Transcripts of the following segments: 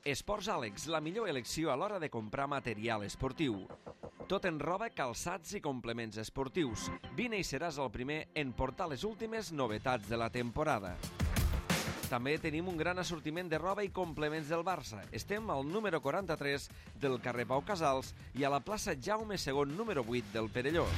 Esports Àlex, la millor elecció a l'hora de comprar material esportiu. Tot en roba, calçats i complements esportius. Vine i seràs el primer en portar les últimes novetats de la temporada. També tenim un gran assortiment de roba i complements del Barça. Estem al número 43 del carrer Pau Casals i a la plaça Jaume II, número 8 del Perelló.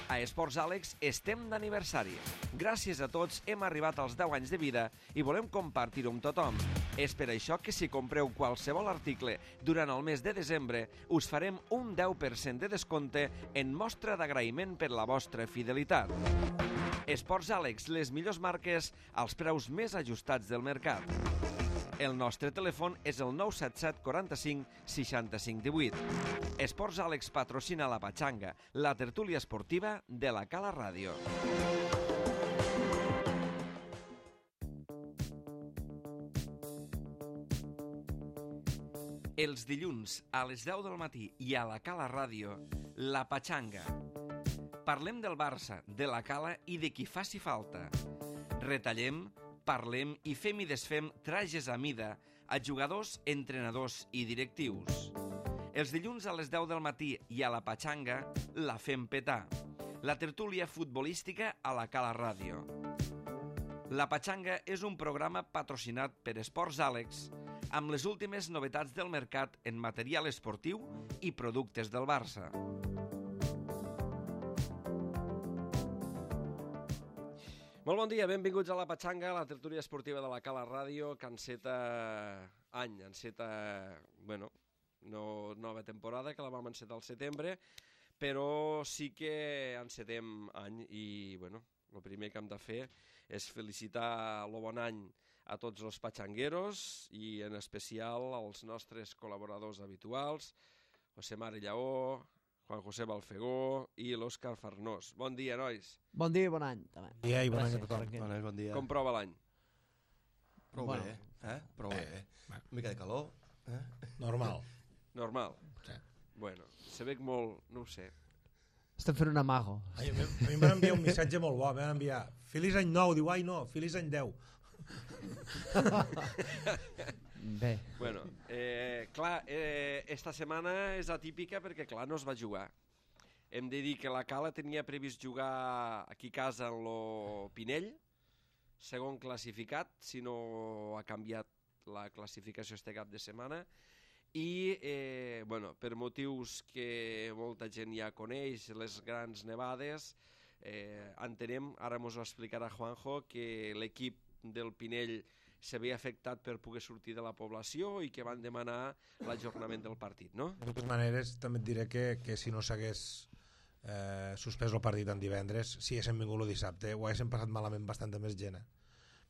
A Esports Àlex estem d'aniversari. Gràcies a tots hem arribat als 10 anys de vida i volem compartir-ho amb tothom. És per això que si compreu qualsevol article durant el mes de desembre, us farem un 10% de descompte en mostra d'agraïment per la vostra fidelitat. Esports Àlex, les millors marques als preus més ajustats del mercat. El nostre telèfon és el 977 45 65 18. Esports Àlex patrocina la Patxanga, la tertúlia esportiva de la Cala Ràdio. Els dilluns a les 10 del matí i a la Cala Ràdio, la Patxanga. Parlem del Barça, de la Cala i de qui faci falta. Retallem, parlem i fem i desfem trajes a mida a jugadors, entrenadors i directius. Els dilluns a les 10 del matí i a la Patxanga la fem petar. La tertúlia futbolística a la Cala Ràdio. La Patxanga és un programa patrocinat per Esports Àlex amb les últimes novetats del mercat en material esportiu i productes del Barça. Molt bon dia, benvinguts a la Patxanga, la tertúlia esportiva de la Cala Ràdio, que enceta any, nova temporada, que la vam encetar al setembre, però sí que encetem any i, el primer que hem de fer és felicitar el bon any a tots els patxangueros i en especial als nostres col·laboradors habituals, José Mari Lleó, Juan José Balfegó i l'Òscar Farnós. Bon dia, nois. Bon dia i bon any, també. Bon dia i bon any a tothom. Bon dia. Com prova l'any? Prou bé, Prou bé. Una mica de calor. Normal. Normal? Sí. Bueno, se veig molt, no ho sé. Estem fent un amago. A mi em van enviar un missatge molt bo, em van enviar Feliç any nou, diu, ai no, Feliç any 10. Bé. Bueno, esta setmana és atípica perquè, clar, no es va jugar. Hem de dir que la Cala tenia previst jugar aquí a casa en lo Pinell, segon classificat, si no ha canviat la classificació este cap de setmana, i, per motius que molta gent ja coneix, les grans nevades, entenem, ara mos ho explicarà Juanjo, que l'equip del Pinell s'havia afectat per poder sortir de la població i que van demanar l'ajornament del partit, no? De totes maneres, també et diré que si no s'hagués suspès el partit en divendres, si haguéssim vingut el dissabte, ho haguéssim passat malament bastanta més gent,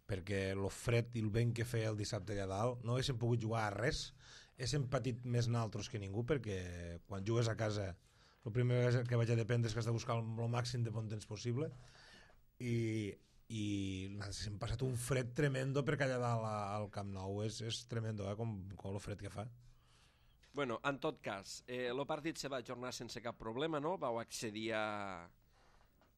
perquè el fred i el vent que feia el dissabte allà dalt no haguéssim pogut jugar a res, haguéssim patit més naltros que ningú, perquè quan jugues a casa el primer que vaig a dependre és que has de buscar el màxim de bon temps possible i hem passat un fred tremendo perquè allà dalt al Camp Nou és tremendo, com el fred que fa. Bueno, en tot cas, el partit se va ajornar sense cap problema, no? Vau accedir a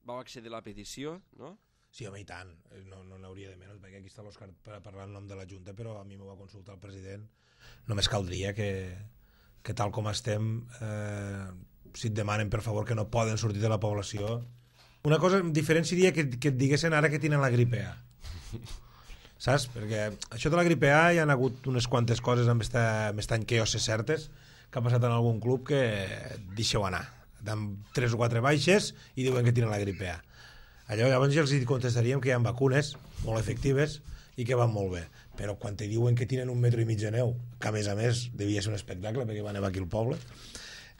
la petició, no? Sí, home, i tant, no n'hauria de menys, perquè aquí està l'Òscar per parlar en nom de la Junta, però a mi m'ho va consultar el president. Només caldria que tal com estem, si et demanen per favor que no poden sortir de la població. Una cosa diferent seria que et diguessin ara que tenen la gripe A. Saps? Perquè això de la gripe A hi ha hagut unes quantes coses amb aquest any que jo sé certes que ha passat en algun club que deixeu anar. Dan 3 o 4 baixes i diuen que tenen la gripe A. Allò llavors ja els contestaríem que hi ha vacunes molt efectives i que van molt bé. Però quan te diuen que tenen 1,5 metres de neu, que a més devia ser un espectacle perquè va nevar aquí al poble,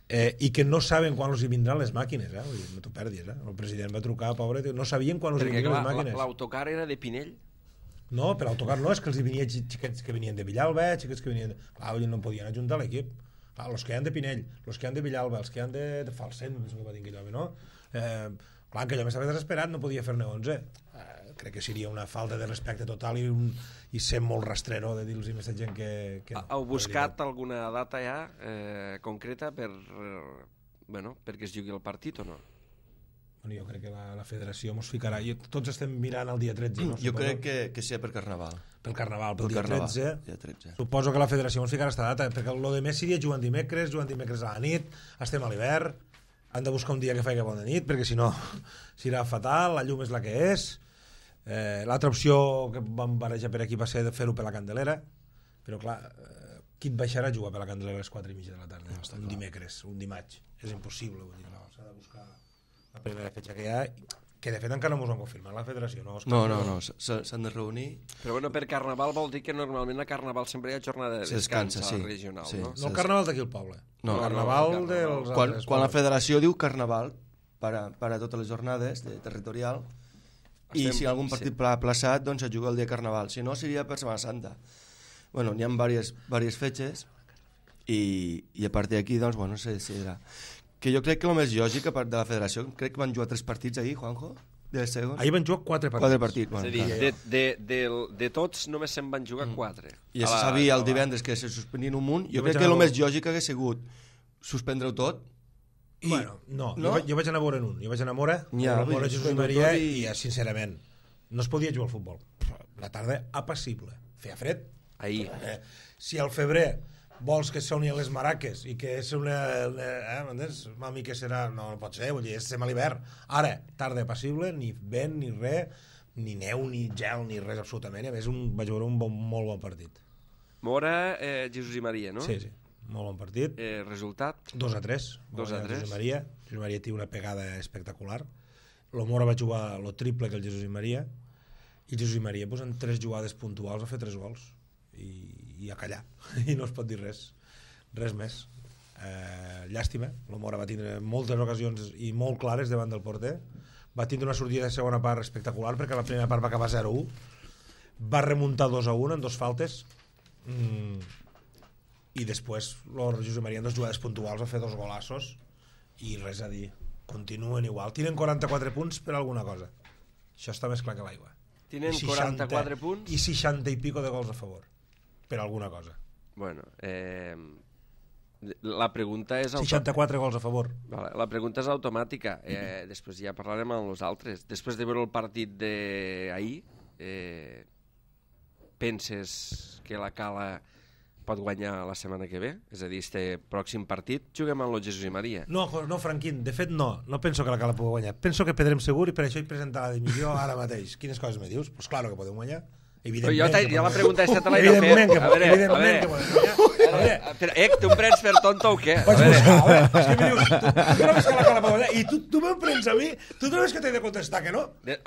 i que no saben quan els hi vindran les màquines, no t'ho perdis, el president va trucar, pobre, no sabien quan els hi vindran les màquines. L'autocar era de Pinell? No, per l'autocar no, és que els hi venia xiquets que venien de Villalba, xiquets que venien clar, no podien ajuntar l'equip, els que hi han de Pinell, els que hi han de Villalba, els que hi han de Falset, no? Clar, que allò m'estava desesperat, no podia fer-ne 11. Crec que seria una falta de respecte total i ser molt rastrero de dir-los a aquesta gent que... Heu buscat alguna data ja concreta perquè es jugui el partit o no? Bueno, jo crec que la federació mos ficarà... Tots estem mirant el dia 13. No? Jo crec que sigui per Carnaval. pel Carnaval, pel Pel dia Carnaval, 13. dia 13. Suposo que la federació ens ficarà esta data, perquè el de més seria jugant dimecres a la nit, estem a l'hivern, han de buscar un dia que faci bona nit, perquè si no serà fatal, la llum és la que és. L'altra opció que vam barejar per aquí va ser de fer-ho per la Candelera, però clar, qui et baixarà a jugar per la Candelera a les 4:30 de la tarda? No, un dimecres, un dimarts. És impossible, vull dir, no, s'ha de buscar la primera fetge que hi ha, que de fet encara no ens ho han confirmat la federació. No, s'han de reunir. Però bueno, per Carnaval vol dir que normalment a Carnaval sempre hi ha jornada de descans a la regional, no? No el Carnaval d'aquí al poble, No, el Carnaval dels altres Quan la pobles. federació diu Carnaval per a totes les jornades de territorial, i si algun partit plaçat, doncs es juga el dia Carnaval, si no seria per Setmana Santa. Bueno, n'hi ha diverses fetges i a partir d'aquí, doncs, bueno, se decidirà. Que jo crec que el més lògic, a part de la federació, crec que van jugar 3 partits ahir, Juanjo? Ahir van jugar 4 partits. 4 partits. És a dir, de tots només se'n van jugar 4. I ja se sabia el divendres que se suspendien un munt. Jo crec que el més lògic hagués sigut suspendre-ho tot. Bueno, no? Jo vaig anar a veure en un. Jo vaig anar a veure Jesús i Maria i, sincerament, no es podia jugar al futbol. La tarda apassible. Feia fred. Ahir. Si al febrer vols que soni les maraques i que és una mami que serà, no pot ser, vull dir, estem a l'hivern. Ara, tarda apassible, ni vent, ni res, ni neu, ni gel, ni res absolutament. A més, vaig veure un molt bon partit. Mora, Jesús i Maria, no? Sí, molt bon partit. Resultat? 2-3. 2-3. Jesús i Maria té una pegada espectacular. El Mora va jugar el triple que el Jesús i Maria, i Jesús i Maria en 3 jugades puntuals va fer 3 gols i a callar, i no es pot dir res més. Llàstima, el Mora va tindre moltes ocasions i molt clares davant del porter, va tindre una sortida de segona part espectacular perquè la primera part va acabar 0-1, va remuntar 2-1 en 2 faltes, i després el Jesús Maria en 2 jugades puntuals va fer 2 golassos i res a dir, continuen igual, tenen 44 punts per alguna cosa, això està més clar que l'aigua. Tenen 44 punts i 60 i pico de gols a favor per alguna cosa. Bueno, la pregunta és 64 gols a favor. Vale, la pregunta és automàtica. Després ja parlarem amb els altres. Després de veure el partit d'ahir, penses que la Cala pot guanyar la setmana que ve? És a dir, este pròxim partit juguem amb el Jesús i Maria. No, Franquín, de fet no penso que la Cala pugui guanyar. Penso que perdrem segur i per això he presentat la dimissió ara mateix. Quines coses me dius? Pues claro que podem guanyar. Evidentment jo la pregunta aquesta te l'he de fer. Evidentment que podem guanyar. Tu em prens per tonto o què? Vaig buscar, és que em dius, tu trobes que la Cala pot guanyar i tu me'n prens a mi? Tu trobes que t'he de contestar que no?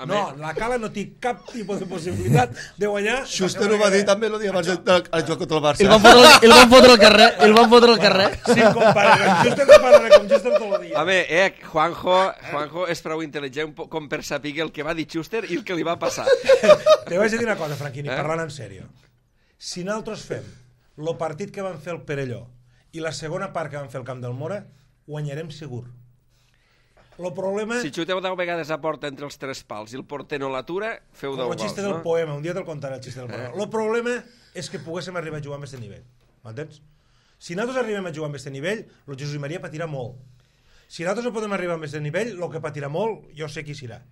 No, la Cala no té cap tipus de possibilitat de guanyar. Schuster ho va dir també el dia abans del joc contra el Barça. El van fotre al carrer. Sí, compadre, com Schuster no parla com Schuster tot el dia. Home, Juanjo és prou intel·ligent com per saber el que va dir Schuster i el que li va passar. Te vaig dir una cosa, Franquini, parlant en sèrio. Si nosaltres fem el partit que van fer el Perelló i la segona part que van fer el Camp del Mora, guanyarem segur. El problema... Si xuteu 10 vegades a porta entre els 3 pals i el porter no l'atura, feu 10 gols, no? El xiste del poema, un dia te'l contaré el xiste del poema. El problema és que poguéssim arribar a jugar amb aquest nivell. M'entens? Si nosaltres arribem a jugar amb aquest nivell, el Jesús i Maria patirà molt. Si nosaltres no podem arribar amb aquest nivell, el que patirà molt, jo sé qui serà.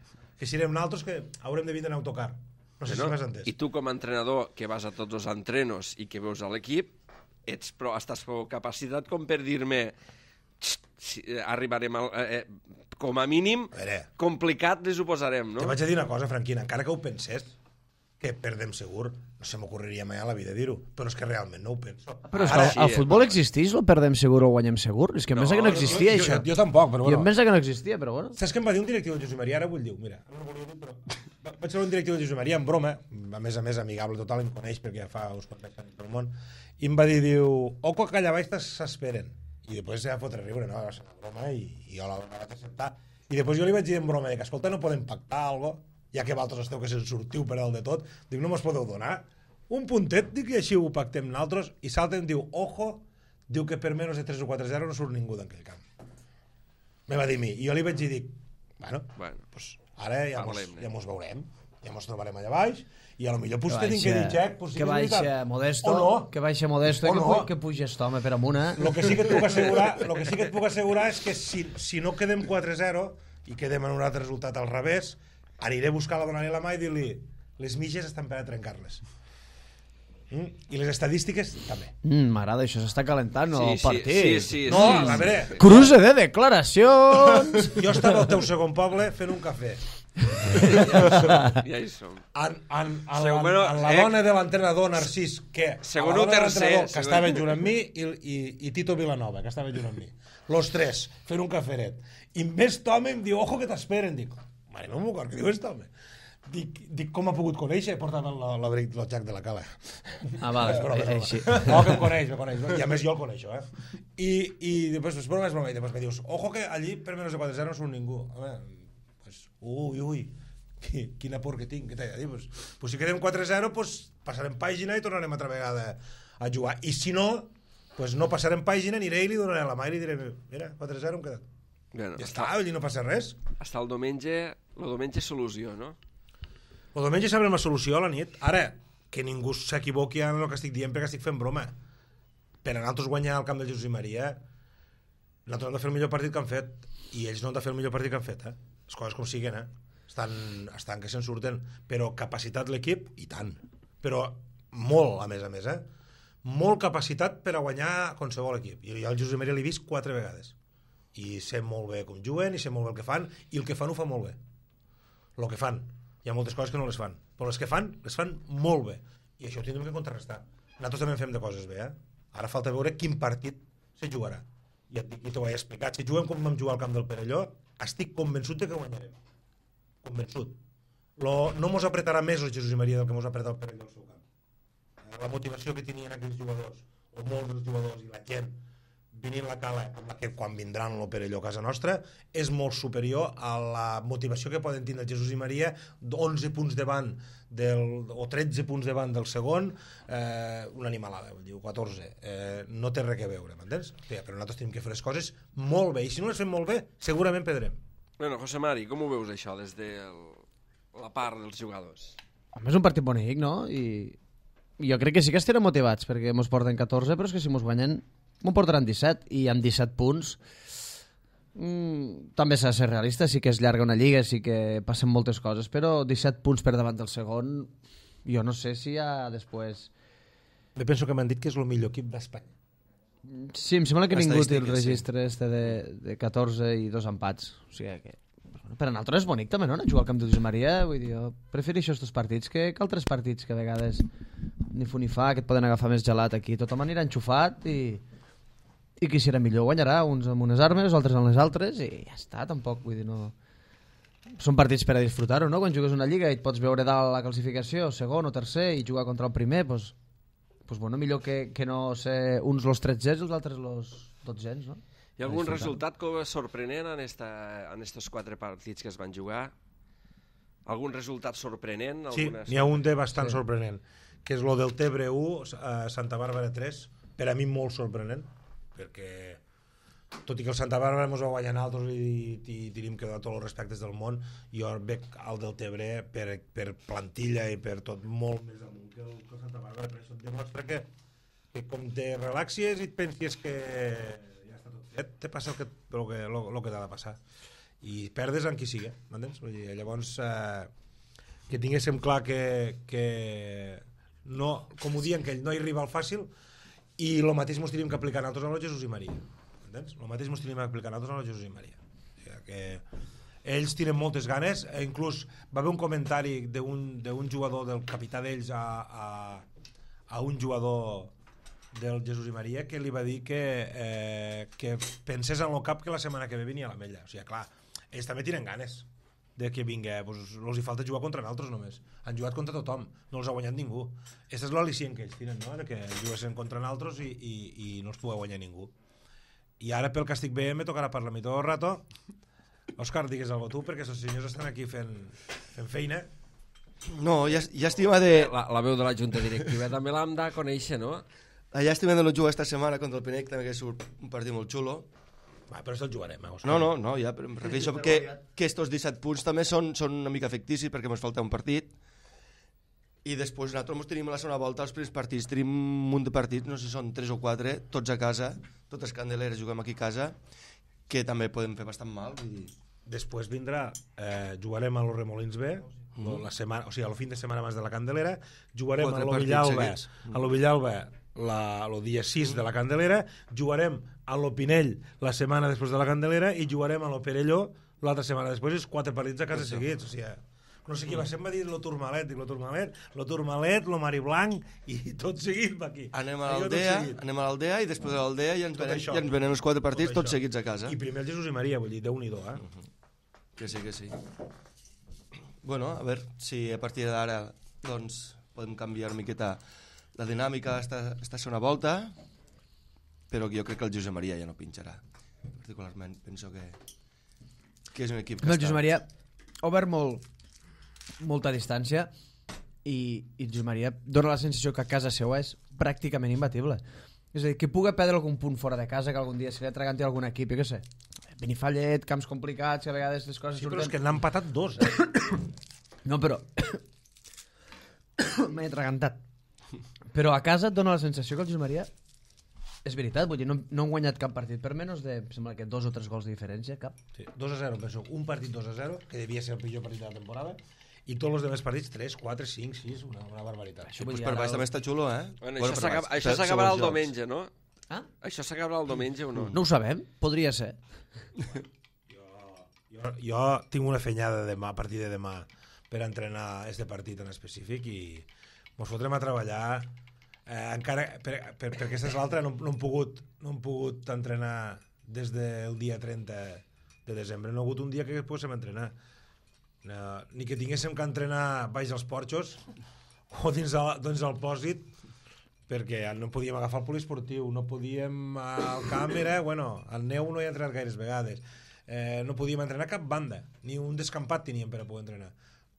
Que serem nosaltres que haurem de vindre en autocar. No sé si m'has entès. I tu com a entrenador que vas a tots els entrenos i que veus a l'equip, estàs prou capacitat com per dir-me arribarem com a mínim complicat les ho posarem, no? Te vaig a dir una cosa, Franquina, encara que ho pensés, que perdem segur, no se m'ocorreria mai a la vida dir-ho, però és que realment no ho penso. Però és que el futbol existeix, el perdem segur o guanyem segur? És que em pensa que no existia, això. Jo tampoc, però bueno. Jo em pensa que no existia, però bueno. Saps què em va dir un directiu de Josep Maria? Ara vull dir, mira, vaig ser un directiu de Josep Maria en broma, a més amigable total, em coneix perquè ja fa uns quants anys pel món, i em va dir, oco que allà baix s'esperen. I després ja fotre riure, no? Va ser una broma i jo la vaig acceptar. I després jo li vaig dir en broma que, escolta, no podem pactar alguna cosa, ja que vosaltres esteu que se'n sortiu per dalt de tot, dic, no mos podeu donar un puntet, dic, i així ho pactem nosaltres, i salten, diu, ojo, diu que per menys de 3 o 4-0 no surt ningú d'aquell camp. Me va dir a mi, i jo li vaig dir, bueno, pues ara ja mos veurem, ja mos trobarem allà baix, i a lo millor potser tenim que dir, Jack, que baixa Modesto, que puja aquest home per amunt, eh? Lo que sí que et puc assegurar és que si no quedem 4-0 i quedem en un altre resultat al revés, aniré a buscar-la, donar-li la mà i dir-li les mitges estan per a trencar-les. I les estadístiques també. M'agrada, això s'està calentant el partit. Sí. No, a veure... Cruce de declaracions! Jo estava al teu segon poble fent un cafè. Ja hi som. En la dona de l'entrenador Narcís, que estava junt amb mi, i Tito Vilanova, que estava junt amb mi. Los tres, fent un caferet. I més Tome em diu, ojo que t'esperen. Dic, mare, no m'ho acord, què diu és Tome? Dic, com ha pogut conèixer? Portava l'abric del Jack de la Cala. Ah, vale, així. No, que em coneix. I a més jo el coneixo, I després, és broma, i després me dius, ojo que allí per menys de 4-0 no surt ningú. A veure, ui, quina por que tinc, què t'he de dir? Pues si quedem 4-0, pues passarem pàgina i tornarem altra vegada a jugar. I si no, pues no passarem pàgina, aniré i li donaré a la mà i li diré, mira, 4-0 hem quedat. Bueno, ja està, allí no passa res. Hasta el diumenge solució, no? El diumenge sabrem la solució a la nit. Ara, que ningú s'equivoqui en el que estic dient perquè estic fent broma. Per a nosaltres guanyar al camp de Jesús i Maria, nosaltres hem de fer el millor partit que han fet, i ells no han de fer el millor partit que han fet, les coses com siguen, estan que se'n surten, però capacitat l'equip, i tant, però molt, a més, molt capacitat per a guanyar qualsevol equip, i jo al Jesús i Maria l'he vist 4 vegades, i sé molt bé com juguen, i sé molt bé el que fan, i el que fan ho fan molt bé, el que fan. Hi ha moltes coses que no les fan, però les que fan, les fan molt bé, i això ho tindrem que contrarrestar. Nosaltres també fem de coses bé, Ara falta veure quin partit se jugarà. I t'ho he explicat, si juguem com vam jugar al camp del Perelló, estic convençut de que guanyarem. Convençut. No mos apretarà més el Jesús i Maria del que mos apreta el Perelló al seu camp. La motivació que tenien aquells jugadors, o molts dels jugadors i la gent, venint la Cala, amb la que quan vindran el Perelló a casa nostra, és molt superior a la motivació que poden tindre el Jesús i Maria, 11 punts davant o 13 punts davant del segon, una animalada, diu 14, no té res a veure, m'entens? Però nosaltres tenim que fer les coses molt bé, i si no les fem molt bé, segurament perdrem. Bueno, José Mari, com ho veus això des de la part dels jugadors? Home, és un partit bonic, no? I jo crec que sí que estarem motivats, perquè mos porten 14, però és que si mos guanyen m'ho portaran 17, i amb 17 punts també s'ha de ser realista, sí que és llarga una lliga, sí que passen moltes coses, però 17 punts per davant del segon, jo no sé si ja després... Jo penso que m'han dit que és el millor equip d'Espanya. Sí, em sembla que ningú té el registre de 14 i 2 empats, o sigui que... Per a nosaltres és bonic també, no? Anar a jugar al camp de Josep Maria, vull dir, jo prefereixo estos partits que altres partits que a vegades ni fu ni fa, que et poden agafar més gelat aquí, tothom anirà enxufat i qui serà millor guanyarà, uns amb unes armes, altres amb les altres, i ja està, tampoc, vull dir, no... Són partits per a disfrutar-ho, no? Quan jugues una lliga i et pots veure dalt la classificació, segon o tercer, i jugar contra el primer, doncs bueno, millor que no ser uns los 13 i els altres los 12, no? Hi ha algun resultat sorprenent en estos 4 partits que es van jugar? Algun resultat sorprenent? Sí, n'hi ha un de bastant sorprenent, que és lo del Tebre 1, Santa Bàrbara 3, per a mi molt sorprenent, perquè tot i que el Santa Bàrbara ens va guanyar altres i tenim que donar tots els respectes del món, jo veig el del Tebre per plantilla i per tot molt més amunt que el Santa Bàrbara, per això et demostra que com te relaxies i et penses que ja està tot fet, te passa el que t'ha de passar i perdes amb qui sigui, m'entens? Llavors que tinguéssim clar que no, com ho diuen que ell no hi arriba al fàcil, i el mateix ens tenim que aplicar nosaltres a Jesús i Maria, entens? El mateix ens tenim que aplicar nosaltres a Jesús i Maria, o sigui que ells tenen moltes ganes, inclús va haver un comentari d'un jugador, del capità d'ells a un jugador del Jesús i Maria, que li va dir que pensés en el cap que la setmana que ve venia a l'Ametlla, o sigui, clar, ells també tenen ganes de que vingui, doncs els hi falta jugar contra nosaltres només, han jugat contra tothom, no els ha guanyat ningú, aquesta és l'al·licient que ells tenen, no? De que juguessin contra nosaltres i no els pugui guanyar ningú. I ara pel que estic veient me tocarà parlar a mi tot el rato. Òscar, digues alguna cosa tu, perquè els senyors estan aquí fent feina. No, llàstima de... La veu de la junta directiva també l'hem de conèixer, no? La llàstima de no jugar esta setmana contra el Pinec, també que és un partit molt xulo. Va, però el jugarem, Òscar. No, ja, però em refereixo que estos 17 punts també són una mica ficticis perquè ens falta un partit, i després nosaltres tenim la segona volta, els primers partits, tenim un munt de partits, no sé si són 3 o 4, tots a casa, totes candeleres, juguem aquí a casa, que també podem fer bastant mal. Vull dir. Després vindrà, jugarem a los Remolins B, la setmana, o sigui, el fin de setmana abans de la Candelera, jugarem a l'Ovillalba el dia 6 de la Candelera, jugarem a l'Opinell la setmana després de la Candelera i jugarem a l'Operelló l'altra setmana després, és 4 partits a casa seguits, o sigui, no sé qui va ser, em va dir lo Turmalet, dic lo Turmalet, lo Mariblanc i tot seguit va aquí. Anem a l'Aldea i després de l'Aldea ja ens venen els 4 partits tots seguits a casa. I primer el Jesús i Maria, vull dir, Déu-n'hi-do, Que sí. Bueno, a veure si a partir d'ara doncs podem canviar una miqueta la dinàmica esta segona volta, però jo crec que el Josep Maria ja no pinxarà. Particularment penso que és un equip que el Josep Maria ha obert molta distància i Josep Maria dona la sensació que a casa seva és pràcticament imbatible. És a dir, que pugui perdre algun punt fora de casa, que algun dia se li atraganti algun equip, jo què sé, Benifallet, camps complicats, que a vegades les coses surten... Sí, però és que n'han empatat 2, No, però... m'he atragantat. Però a casa et dona la sensació que el Josep Maria... És veritat, vull dir, no han guanyat cap partit per menys de, sembla que 2 o 3 gols de diferència, cap. Sí, 2-0, penso, un partit 2-0, que devia ser el pitjor partit de la temporada, i tots els demés partits 3, 4, 5, 6, una barbaritat. Això pues per baix també està xulo, Bueno, això s'acabarà el diumenge, no? Això s'acabarà el diumenge o no? No ho sabem, podria ser. Jo tinc una fenyada demà, a partir de demà, per entrenar este partit en específic i mos fotrem a treballar encara, perquè aquesta és l'altra, no hem pogut entrenar des del dia 30 de desembre, no ha hagut un dia que poguéssim entrenar, ni que tinguéssim que entrenar baix als porxos o dins el pòsit, perquè no podíem agafar el poliesportiu, no podíem al camp, al neu no hi ha entrenat gaires vegades, no podíem entrenar cap banda, ni un descampat teníem per a poder entrenar.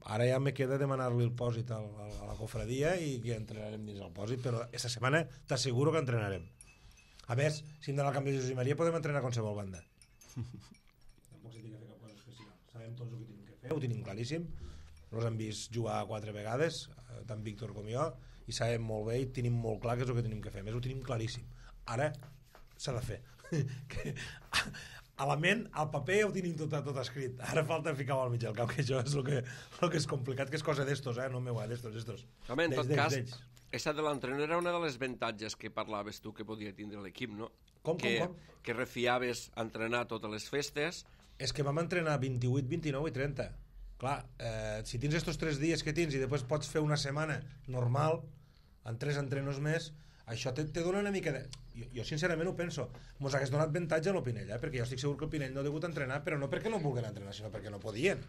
Ara ja me queda demanar-li el pòsit a la cofradia i que entrenarem dins el pòsit, però aquesta setmana t'asseguro que entrenarem. A més, si hem d'anar al camp de Jesús i Maria podem entrenar a qualsevol banda. Tampoc s'ha de fer cap cosa especial. Sabem tots el que tenim que fer, ho tenim claríssim. Nos hem vist jugar 4 vegades, tant Víctor com jo, i sabem molt bé i tenim molt clar què és el que tenim que fer. A més, ho tenim claríssim. Ara s'ha de fer. A la ment, al paper ho tenim tot escrit. Ara falta ficar-ho al mig del camp, que això és el que és complicat, que és cosa d'estos, no meu, d'estos. Home, en tot cas, aquesta de l'entrenador era una de les avantatges que parlaves tu que podia tindre l'equip, no? Com? Que refiaves a entrenar totes les festes. És que vam entrenar 28, 29 i 30. Clar, si tens estos 3 dies que tens i després pots fer una setmana normal, en 3 entrenos més, això te dona una mica de... Jo sincerament ho penso, mos hagués donat avantatge a l'Opinell, perquè jo estic segur que l'Opinell no ha degut entrenar, però no perquè no vulguin entrenar, sinó perquè no podien,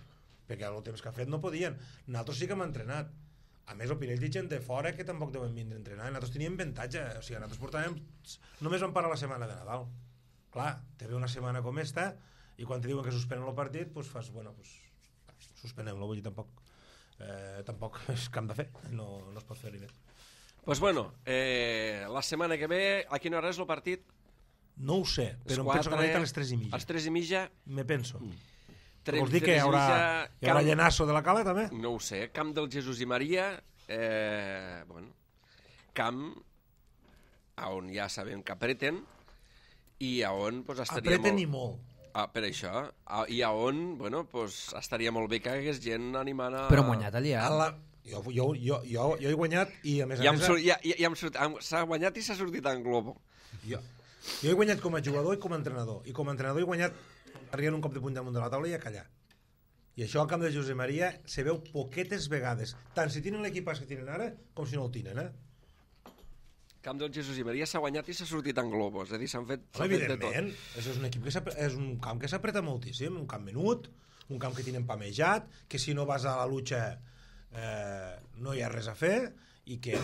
perquè el temps que ha fet no podien. Nosaltres sí que hem entrenat. A més, l'Opinell té gent de fora que tampoc deuen vindre a entrenar, i nosaltres teníem avantatge, o sigui, nosaltres portàvem... Només vam parar la setmana de Nadal. Clar, te ve una setmana com esta, i quan te diuen que suspenen el partit, doncs fas, suspenem-lo, vull dir, tampoc és camp de fer, no es pot fer-hi més. Pues bueno, la setmana que ve, a quina hora és el partit? No ho sé, però em penso que a les 3:30. A les 3:30? Me penso. Vols dir que hi haurà llenasso de la Cala, també? No ho sé, camp del Jesús i Maria, camp on ja sabem que apreten i on estaria apreten i molt. Per això, i on estaria molt bé que hagués gent animant a... Però han guanyat allà. Jo he guanyat i a més a més... S'ha guanyat i s'ha sortit en globo. Jo he guanyat com a jugador i com a entrenador. I com a entrenador he guanyat arribant un cop de punt damunt de la taula i a callar. I això al camp de Josep Maria se veu poquetes vegades. Tant si tenen l'equipàs que tenen ara com si no el tenen, Camp del Jesús i Maria s'ha guanyat i s'ha sortit en globo. És a dir, s'han fet de tot. Evidentment, és un equip és un camp que s'apreta moltíssim, un camp menut, un camp que tenen pamejat, que si no vas a la lucha no hi ha res a fer i que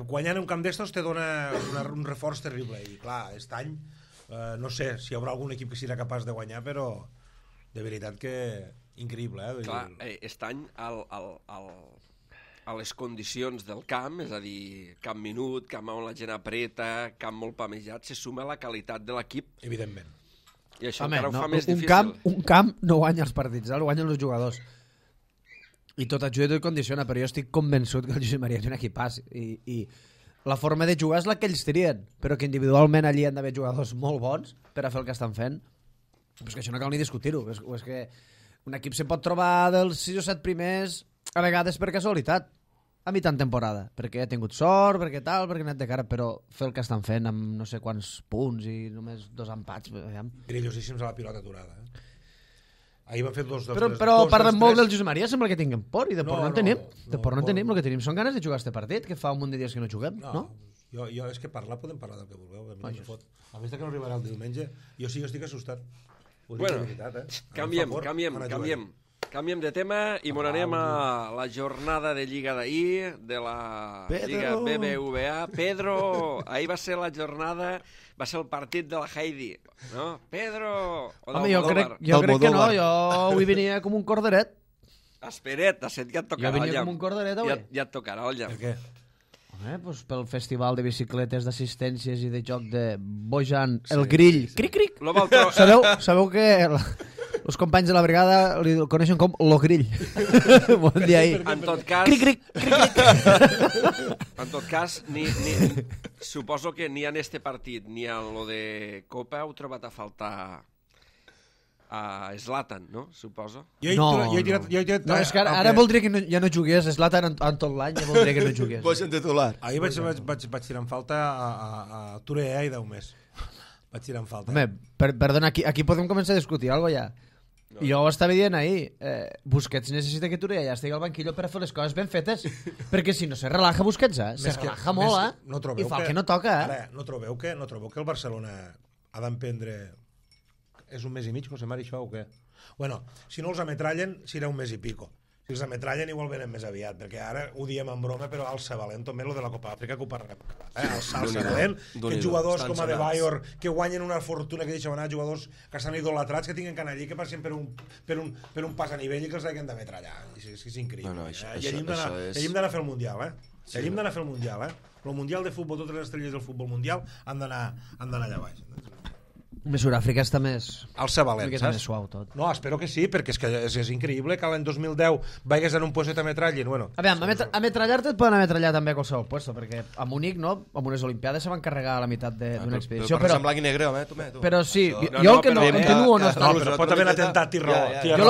guanyant un camp d'estos te dona un reforç terrible i clar, aquest any no sé si hi haurà algun equip que serà capaç de guanyar, però de veritat que increïble. Clar, aquest any a les condicions del camp, és a dir, camp minut, camp on la gent apreta, camp molt pamejat, se suma la qualitat de l'equip. Evidentment. I això encara ho fa més difícil. Un camp no guanya els partits, el guanyen els jugadors. I tot ajuda i tot condiciona, però jo estic convençut que el Josep Maria és un equipàs i la forma de jugar és la que ells trien, però que individualment allí han d'haver jugadors molt bons per a fer el que estan fent. Però és que això no cal ni discutir-ho, és que un equip se pot trobar dels 6 o 7 primers a vegades per casualitat a mitjan temporada, perquè ha tingut sort, perquè tal, perquè ha anat de cara, però fer el que estan fent amb no sé quants punts i només 2 empats... Grillosíssims a la pilota aturada. Ahir van fer dos... Però parlem molt del Josep Maria, sembla que tinguem por, i de por no en tenim. De por no en tenim, el que tenim són ganes de jugar este partit, que fa un munt de dies que no juguem, no? Jo és que podem parlar del que vulgueu, a mi no me fot. A més que no arribarà el diumenge, jo estic assustat. Bueno, canviem de tema i m'on anem a la jornada de Lliga d'ahir, de la Lliga BBVA. Pedro, ahir va ser la jornada, va ser el partit de la Heidi, no? Pedro! Home, jo crec que no, jo avui venia com un corderet. Espera't, ja et tocarà, jo venia com un corderet avui. Ja et tocarà, Olla. Per què? Pues pel festival de bicicletes, d'assistències i de joc de Bojan, el grill. Cric-cric! Sabeu que els companys de la brigada li coneixen com lo grill. Bon dia ahir. En tot cas... Cric-cric! En tot cas, suposo que ni en este partit ni en lo de Copa heu trobat a faltar a Zlatan, no? Suposo. No, és que ara voldria que ja no jugués Zlatan en tot l'any, ja voldria que no jugués. Bojan titular. Ahir vaig tirar en falta a Touré i 10 més. Vaig tirar en falta. Home, perdona, aquí podem començar a discutir alguna cosa ja. No. Jo ho estava dient ahir, Busquets necessita que Touré ja estigui al banquillo per a fer les coses ben fetes, perquè si no se relaja Busquets, se relaja molt, i fa el que no toca. Ara, no trobeu que el Barcelona ha d'emprendre... És un mes i mig, José Mari, això o què? Bueno, si no els ametrallen, serà un mes i pico. Si els ametrallen igual venen més aviat, perquè ara ho diem en broma, però al Sabalent també lo de la Copa Àfrica que ho parlarem. Al Sabalent, que jugadors com a De Bayor, que guanyen una fortuna, que deixen anar jugadors que estan idolatrats, que tinguin que anar allí, que passin per un pas a nivell i que els hagin d'ametrallar. És increïble. I allí hem d'anar a fer el Mundial, I allí hem d'anar a fer el Mundial, El Mundial de Futbol, totes les estrelles del futbol mundial han d'anar allà baix. Més Sud-àfrica està més... Al Sabalent, saps? Més suau tot. No, espero que sí, perquè és increïble que l'any 2010 vagis en un puesto i t'ametrallin. Bueno, ametrallar-te et poden ametrallar també a qualsevol puesto, perquè a Múnich, no? A unes Olimpiades se van carregar a la meitat d'una expedició. Però en blanc i negre, tu. Però sí, jo el que no continuo no està... No, però pot haver atemptat Tiró. Jo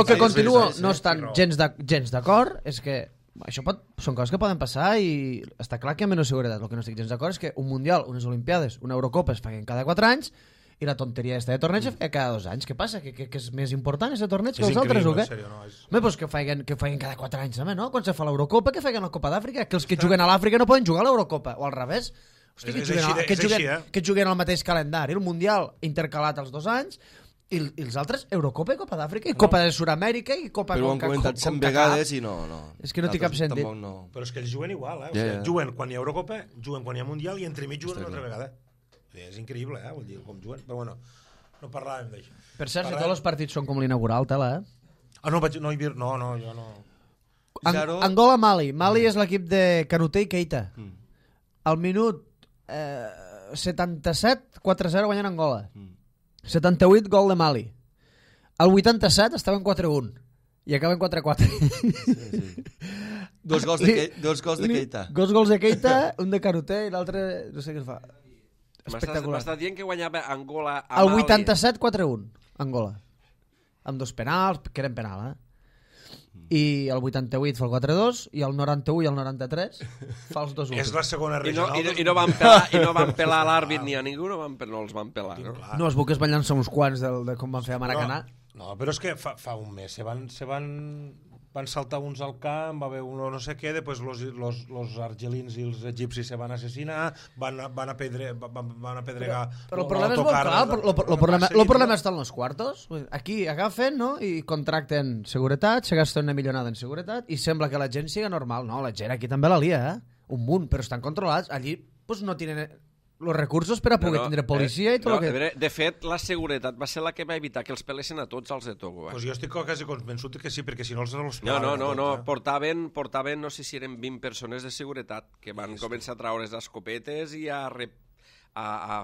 el que continuo no estan gens d'acord és que això són coses que poden passar i està clar que hi ha menys seguretat. El que no estic gens d'acord és que un Mundial, unes Olimpiades, una Eurocopa es facin cada 4 anys i la tonteria esta de torneig es fa cada 2 anys. Què passa? Que és més important aquest torneig que els altres o què? Home, doncs que facin cada 4 anys també, no? Quan se fa l'Eurocopa, que facin la Copa d'Àfrica, que els que juguen a l'Àfrica no poden jugar a l'Eurocopa, o al revés. Hosti, que juguen al mateix calendari, el Mundial intercalat els 2 anys i els altres, Eurocopa i Copa d'Àfrica i Copa de Sud-amèrica i Copa... Però ho han comentat 100 vegades i no. És que no té cap sentit. Però és que ells juguen igual, O sigui, juguen quan hi ha Eurocopa, juguen quan hi ha Mundial i entremig juguen una altra vegada. És increïble, vull dir, com juguen. Però bueno, no parlàvem d'això. Per cert, si tots els partits són com l'inaugural, tela, no, jo no. Angola-Mali. Mali és l'equip de Kanouté i Keita. Al minut 77, 4-0 guanyant Angola. 78, gol de Mali. Al 87 estaven 4-1 i acaben 4-4. Sí. Dos gols de Keita. Dos gols de Keita, un de Kanouté i l'altre no sé què es fa. Espectacular. M'estàs dient que guanyava Angola a Mali? Al 87, 4-1, Angola. Amb 2 penals, que eren penal, I el 88 fa el 4-2 i el 91 i el 93 fa els 2-1. És la segona regional. I no van pelar l'àrbit ni a ningú, no els van pelar, no? No, els buques van llançar uns quants de com van fer a Maracanà. No, però és que fa un mes van saltar uns al camp, va haver un no sé què, després los argelins i els egipcis se van assassinar, van apedregar... Però el problema és molt clar, el problema està en los quartos. Aquí agafen, no?, i contracten seguretat, se gasten una millonada en seguretat i sembla que la gent siga normal. No, la gent aquí també la lia, un munt, però estan controlats. Allí pues, no tenen... els recursos per a poder tindre policia i tot el que... De fet, la seguretat va ser la que va evitar que els pelessin a tots els de Togo. Pues jo estic quasi convençut que sí, perquè si no els No. Portaven, no sé si eren 20 persones de seguretat que van començar a traure les escopetes i a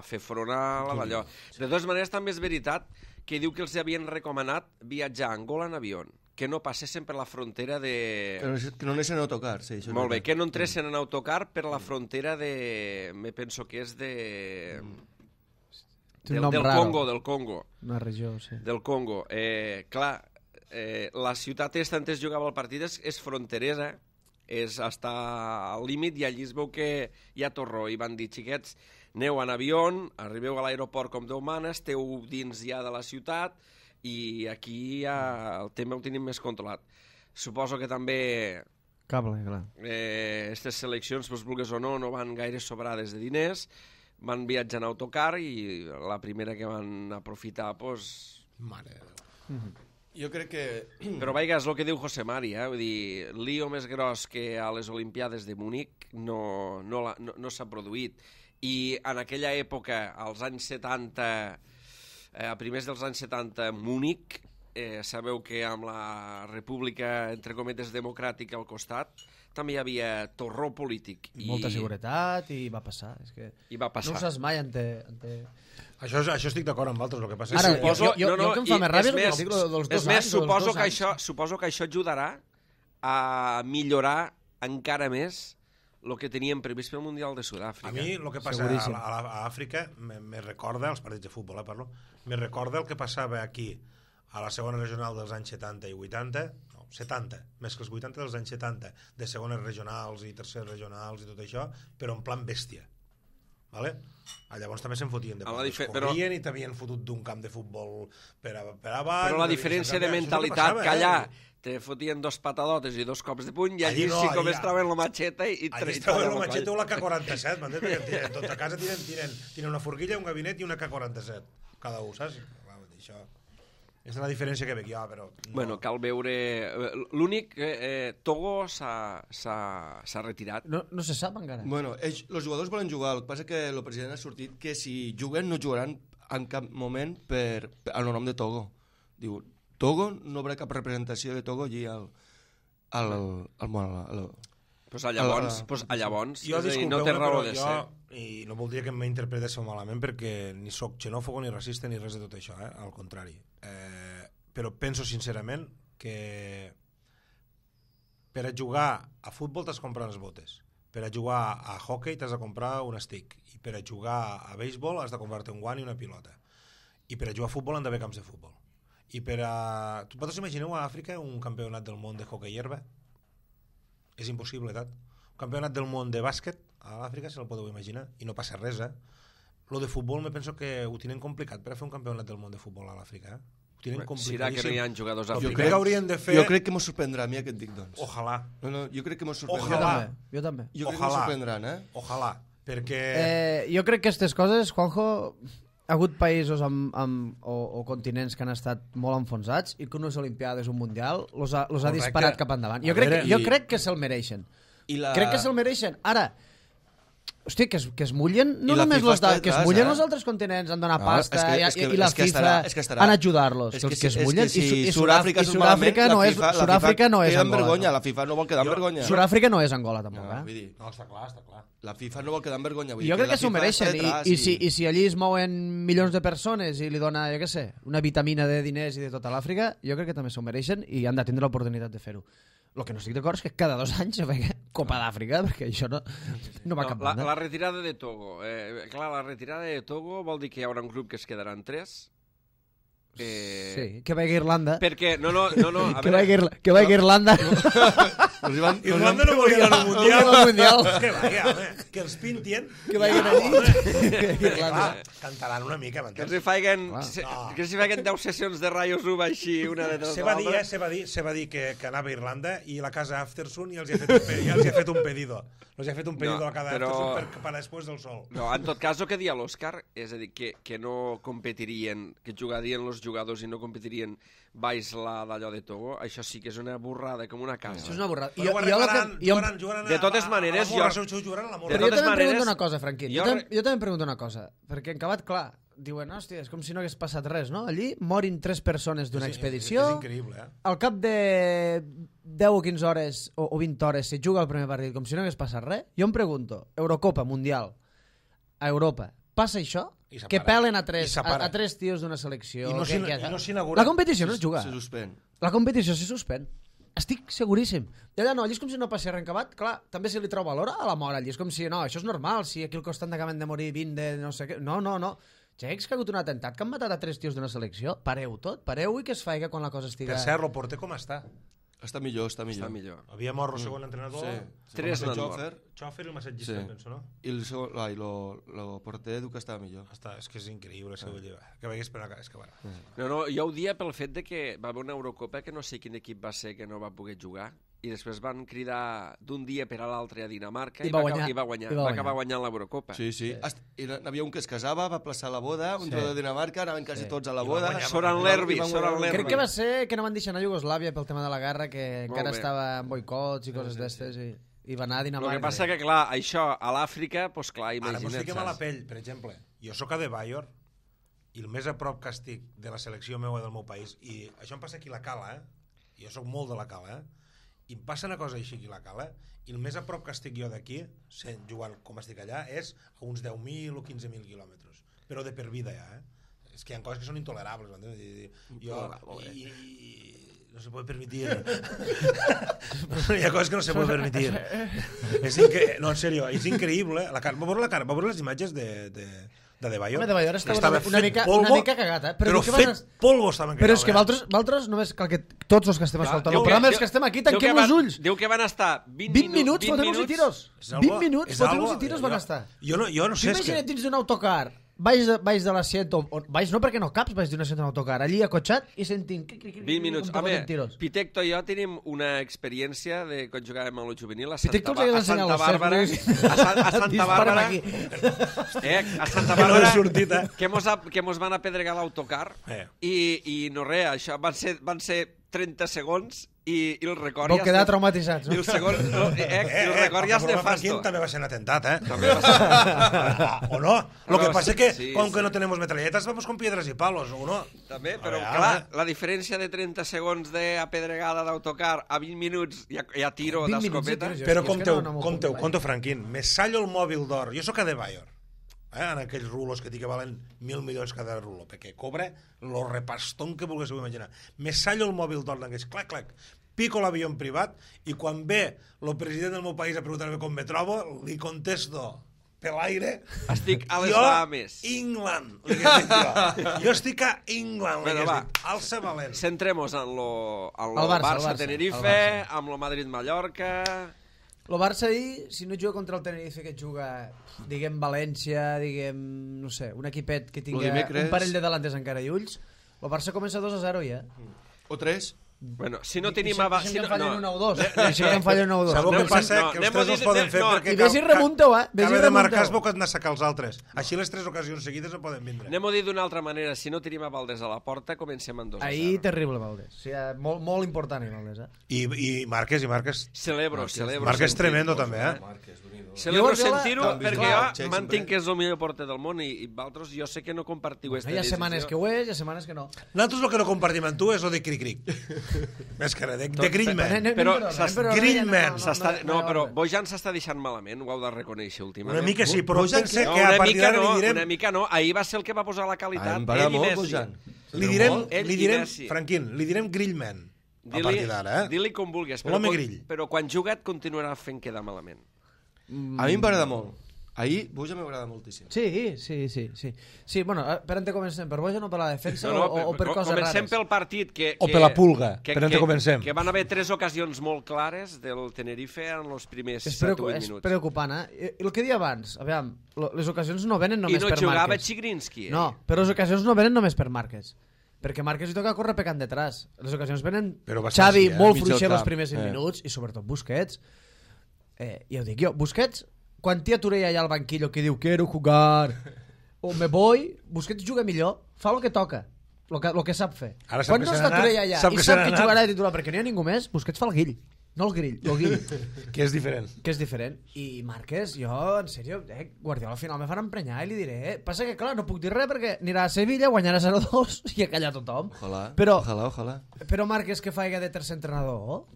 fer front a l'allò. De totes maneres, també és veritat que diu que els havien recomanat viatjar a Angola en avió, que no passessin per la frontera de... Que no anessin a autocar, sí. Molt bé, que no entressin en autocar per la frontera de... Me penso que és de... Del Congo. Una regió, sí. Del Congo. Clar, la ciutat esta on es jugava el partit és fronteresa, és està al límit, i allí es veu que hi ha torró, i van dir, xiquets, aneu en avió, arribeu a l'aeroport com Déu mana, esteu dins ja de la ciutat, i aquí ja el tema ho tenim més controlat. Suposo que també Cable, clar. aquestes seleccions, pues, vulguis o no, no van gaire sobrades de diners, van viatjar en autocar i la primera que van aprofitar, pues... Mare de Déu. Jo crec que... Però vaja, és el que diu José Mari, vull dir, lío més gros que a les Olimpiades de Múnich no s'ha produït. I en aquella època, als anys 70, a primers dels anys 70, Múnich, sabeu que amb la república, entre cometes, democràtica al costat, també hi havia torró polític. Molta seguretat i va passar. És que I va passar. no ho saps mai Això estic d'acord amb altres, el que passa és Ara, que... jo el que em fa més ràbia és el dels 2 anys. Suposo que això ajudarà a millorar encara més el que teníem previst pel Mundial de Sud-àfrica. A mi el que passa a Àfrica me recorda, els partits de futbol, parlo, me recorda el que passava aquí a la segona regional dels anys 70 i 80, no, 70, més que els 80 dels anys 70, de segones regionals i terceres regionals i tot això, però en plan bèstia. Vale? Llavors també se'n fotien de corrien i t'havien fotut d'un camp de futbol per avall. Però la diferència de mentalitat, que allà te fotien 2 patadotes i 2 cops de puny, i allí sí com es troben la matxeta i allí es troben la matxeta o la K-47, m'entens? Perquè tots a casa tiren una forquilla, un gabinet i una K-47 cada un, saps? Això és la diferència que veig jo, però... Bueno, cal veure... L'únic, Togo s'ha retirat. No se sap encara. Bueno, els jugadors volen jugar, el que passa que el president ha sortit que si juguen no jugaran en cap moment al nom de Togo. Diu, Togo no haurà cap representació de Togo allí al Pues llavors jo, no té raó de ser. I no voldria que m'interpretéssiu malament perquè ni sóc xenòfobo ni racista ni res de tot això, al contrari. Però penso sincerament que per a jugar a futbol t'has de comprar les botes, per a jugar a hockey t'has de comprar un stick, i per a jugar a béisbol has de comprar-te un guant i una pilota, i per a jugar a futbol han d'haver camps de futbol. I per a... Vosaltres imagineu a Àfrica un campionat del món de hockey herba? És impossible, tant. Un campionat del món de bàsquet a l'Àfrica, se el podeu imaginar, i no passa res, Lo de futbol me penso que ho tenen complicat per a fer un campionat del món de futbol a l'Àfrica, Ho tenen complicadíssim. Serà que no hi ha jugadors africans. Jo crec que m'ho sorprendrà a mi aquest dic, doncs. Ojalà. No, jo crec que m'ho sorprendrà. Jo també. Jo crec que m'ho sorprendran, Ojalà, perquè... Jo crec que aquestes coses, Juanjo, ha hagut països o continents que han estat molt enfonsats i que unes olimpiades, un mundial, los ha disparat cap endavant. Jo crec que se'l mereixen. Crec que se'l mereixen. Ara, hosti, que es mullen no només que es mullen els altres continents en donar pasta i la FIFA en ajudar-los, que es mullen, i Sud-àfrica no és Angola. La FIFA no vol quedar en vergonya. Sud-àfrica no és Angola tampoc. No, està clar. La FIFA no vol quedar en vergonya. Jo crec que s'ho mereixen, i si allí es mouen milions de persones i li dona, jo què sé, una vitamina de diners i de tota l'Àfrica, jo crec que també s'ho mereixen i han de tindre l'oportunitat de fer-ho. El que no estic d'acord és que cada 2 anys se feia Copa d'Àfrica, perquè això no va cap banda. La retirada de Togo. Clar, la retirada de Togo vol dir que hi haurà un grup que es quedaran 3. Sí, que vagi a Irlanda. Perquè, no, a veure... Que vagi a Irlanda. Irlanda no volia anar al Mundial. Que vaya, home, que els pintien. Que vagin allí. Cantaran una mica, m'entens? Que s'hi feien 10 sessions de Rayos Uva així, una de dos. Se va dir que anava a Irlanda i la casa Aftersun i els hi ha fet un pedido. Els hi ha fet un pedido a la casa Aftersun per després del sol. No, en tot cas, el que dia l'Òscar, és a dir, que no competirien, que jugarien els jugadors i no competirien baix d'allò de Togo, això sí que és una burrada, com una casa. Això és una burrada. De totes maneres, però jo també em pregunto una cosa, Franquín. Jo també em pregunto una cosa, perquè en acabat, clar, diuen, hòstia, és com si no hagués passat res, no? Allí morin 3 persones d'una expedició. És increïble, Al cap de 10 o 15 hores o 20 hores se juga el primer partit com si no hagués passat res. Jo em pregunto, Eurocopa, Mundial, a Europa, passa això? Que pelen a 3 tios d'una selecció. I no s'inaugura. La competició no es juga. Se suspèn. La competició se suspèn. Estic seguríssim. I allà no, allí és com si no passés res en acabat. Clar, també se li treu valor a la mort allí. És com si, no, això és normal, si aquí al costat acaben de morir 20 de no sé què. No. Xecs que ha hagut un atemptat, que han matat a 3 tios d'una selecció. Pareu tot, pareu i que es faig quan la cosa estiga... Per cert, el porter com està? Està millor, està millor. Havia mort el segon entrenador, Sí. 3 n'han mort. Xòfer i el massatgista, penso, no? I el porter diu que estava millor. És que és increïble, que veies per és que bueno. No, jo ho dia pel fet de que va haver una Eurocopa que no sé quin equip va ser que no va poder jugar i després van cridar d'un dia per a l'altre a Dinamarca i va guanyar. Va acabar guanyant l'Eurocopa. Sí. I n'havia un que es casava, va plaçar la boda, un jugador de Dinamarca, anaven quasi tots a la boda. Soran Lerby. Crec que va ser que no van deixar anar a Iugoslàvia pel tema de la guerra, que encara estava en boicots i coses d'estes i va anar a Dinamarca. El que passa que, clar, això a l'Àfrica, doncs clar, imagina't. Ara mos fiquem a la saps? pell, per exemple. Jo sóc a De Bayor i el més a prop que estic de la selecció meua del meu país, i això em passa aquí a la Cala, jo sóc molt de la Cala, i em passa una cosa així aquí a la Cala, i el més a prop que estic jo d'aquí, jugant com estic allà, és a uns 10.000 o 15.000 quilòmetres. Però de per vida ja, És que hi ha coses que són intolerables, no se puede permitir. Hi ha coses que no se puede permitir. No, en serio, és increïble. Va veure les imatges de De Bayor. De Bayor estava una mica cagat, però fet polvo estaven cagant. Però és que vosaltres només cal que tots els que estem escoltant el programa, els que estem aquí, tanquem els ulls. Diu que van estar 20 minuts fotent-nos i tiros. 20 minuts fotent-nos i tiros van estar. Jo no sé. Imagina't dins d'un autocar, baix de l'assient, baix no perquè no caps, baix d'un assient d'un autocar, allí acotxat i sentint... 20 minuts. Home, Pitecto i jo tenim una experiència de quan jugàvem a lo juvenil a Santa Bàrbara. A Santa Bàrbara, que mos van apedregar l'autocar i no res, això van ser 30 segons i el record ja... Vau quedar traumatitzats, no? El record ja és nefasto. També va ser un atemptat, o no? Lo que passa que, com que no tenemos metralletas, vamos con piedras y palos, o no? També, però clar, la diferència de 30 segons d'apedregada d'autocar a 20 minuts i a tiro d'escopeta... Però compteu, Franquín, me sallo el mòbil d'or. Jo sóc a De Bayor, en aquells rulos que que valen 1.000 milions cada rulo, perquè cobra lo repastón que vulguéssiu imaginar. Me sallo el mòbil d'or d'aquells, clac, pico l'avió en privat, i quan ve el president del meu país a preguntar-me com me trobo, li contesto per l'aire... Estic a les Bahames. England, jo estic a England, alça valent. Centrem-nos en el Barça-Tenerife, amb el Madrid-Mallorca... El Barça ahir, si no juga contra el Tenerife, que juga, diguem, València, diguem, no sé, un equipet que tingui un parell de delantes encara i ulls, el Barça comença 2-0 ja. O 3. Bueno, si no tenim... Si no fallen 1 o 2. Si no fallen 1 o 2. Sabeu què passa? Que els 3 els poden fer perquè... I vés i remunteu, Cada de marcar es veu que han de sacar els altres. Així les 3 ocasions seguides no poden vindre. Anem-ho a dir d'una altra manera. Si no tenim a Valdés a la porta, comencem en 2-0. Ahir terrible, Valdés. O sigui, molt important, Valdés. I Marques. Celebro. Marques tremendo, també, Celebro sentir-ho perquè jo mantinc que és el millor porter del món i vosaltres jo sé que no compartiu aquesta decisió. Hi ha setmanes que ho és, hi ha setmanes que no. Nosaltres el que no compartim amb tu és el de cric-cric. Més que res, de Greenman. Però Greenman. No, però Bojan s'està deixant malament, ho heu de reconèixer últimament. Una mica sí, però pense que a partir d'ara li direm... Una mica no, ahir va ser el que va posar la qualitat. Em para molt, Bojan. Li direm, Franquín, li direm Grillman. A partir d'ara, Digue-li com vulguis, però quan juga et continuarà fent quedar malament. A mi m'agrada molt. Ahir Bojan m'agrada moltíssim. Sí, bueno, per on te comencem? Per Bojan o per la defensa o per coses rares? Comencem pel partit o per la pulga, per on te comencem? Que van haver 3 ocasions molt clares del Tenerife en els primers 7 o 8 minuts. És preocupant, El que deia abans, aviam, les ocasions no venen només per Márquez. I no jugava Chigrinsky. No, però les ocasions no venen només per Márquez. Perquè Márquez li toca córrer pecant detrás. Les ocasions venen Xavi molt fluixer els primers 20 minuts i sobretot Busquets. Ja ho dic jo, Busquets, quan té a Torella allà al banquillo que diu quiero jugar o me voy, Busquets juga millor, fa el que toca, el que sap fer. Quan no està Torella allà i sap que jugarà de titular perquè no hi ha ningú més, Busquets fa el guill. No el grill, el guill. Que és diferent. I Márquez, jo, en sèrio, Guardiola al final me farà emprenyar i li diré, passa que clar, no puc dir res perquè anirà a Sevilla, guanyarà 0-2 i a callar tothom. Ojalà. Però Márquez que faiga de tercer entrenador,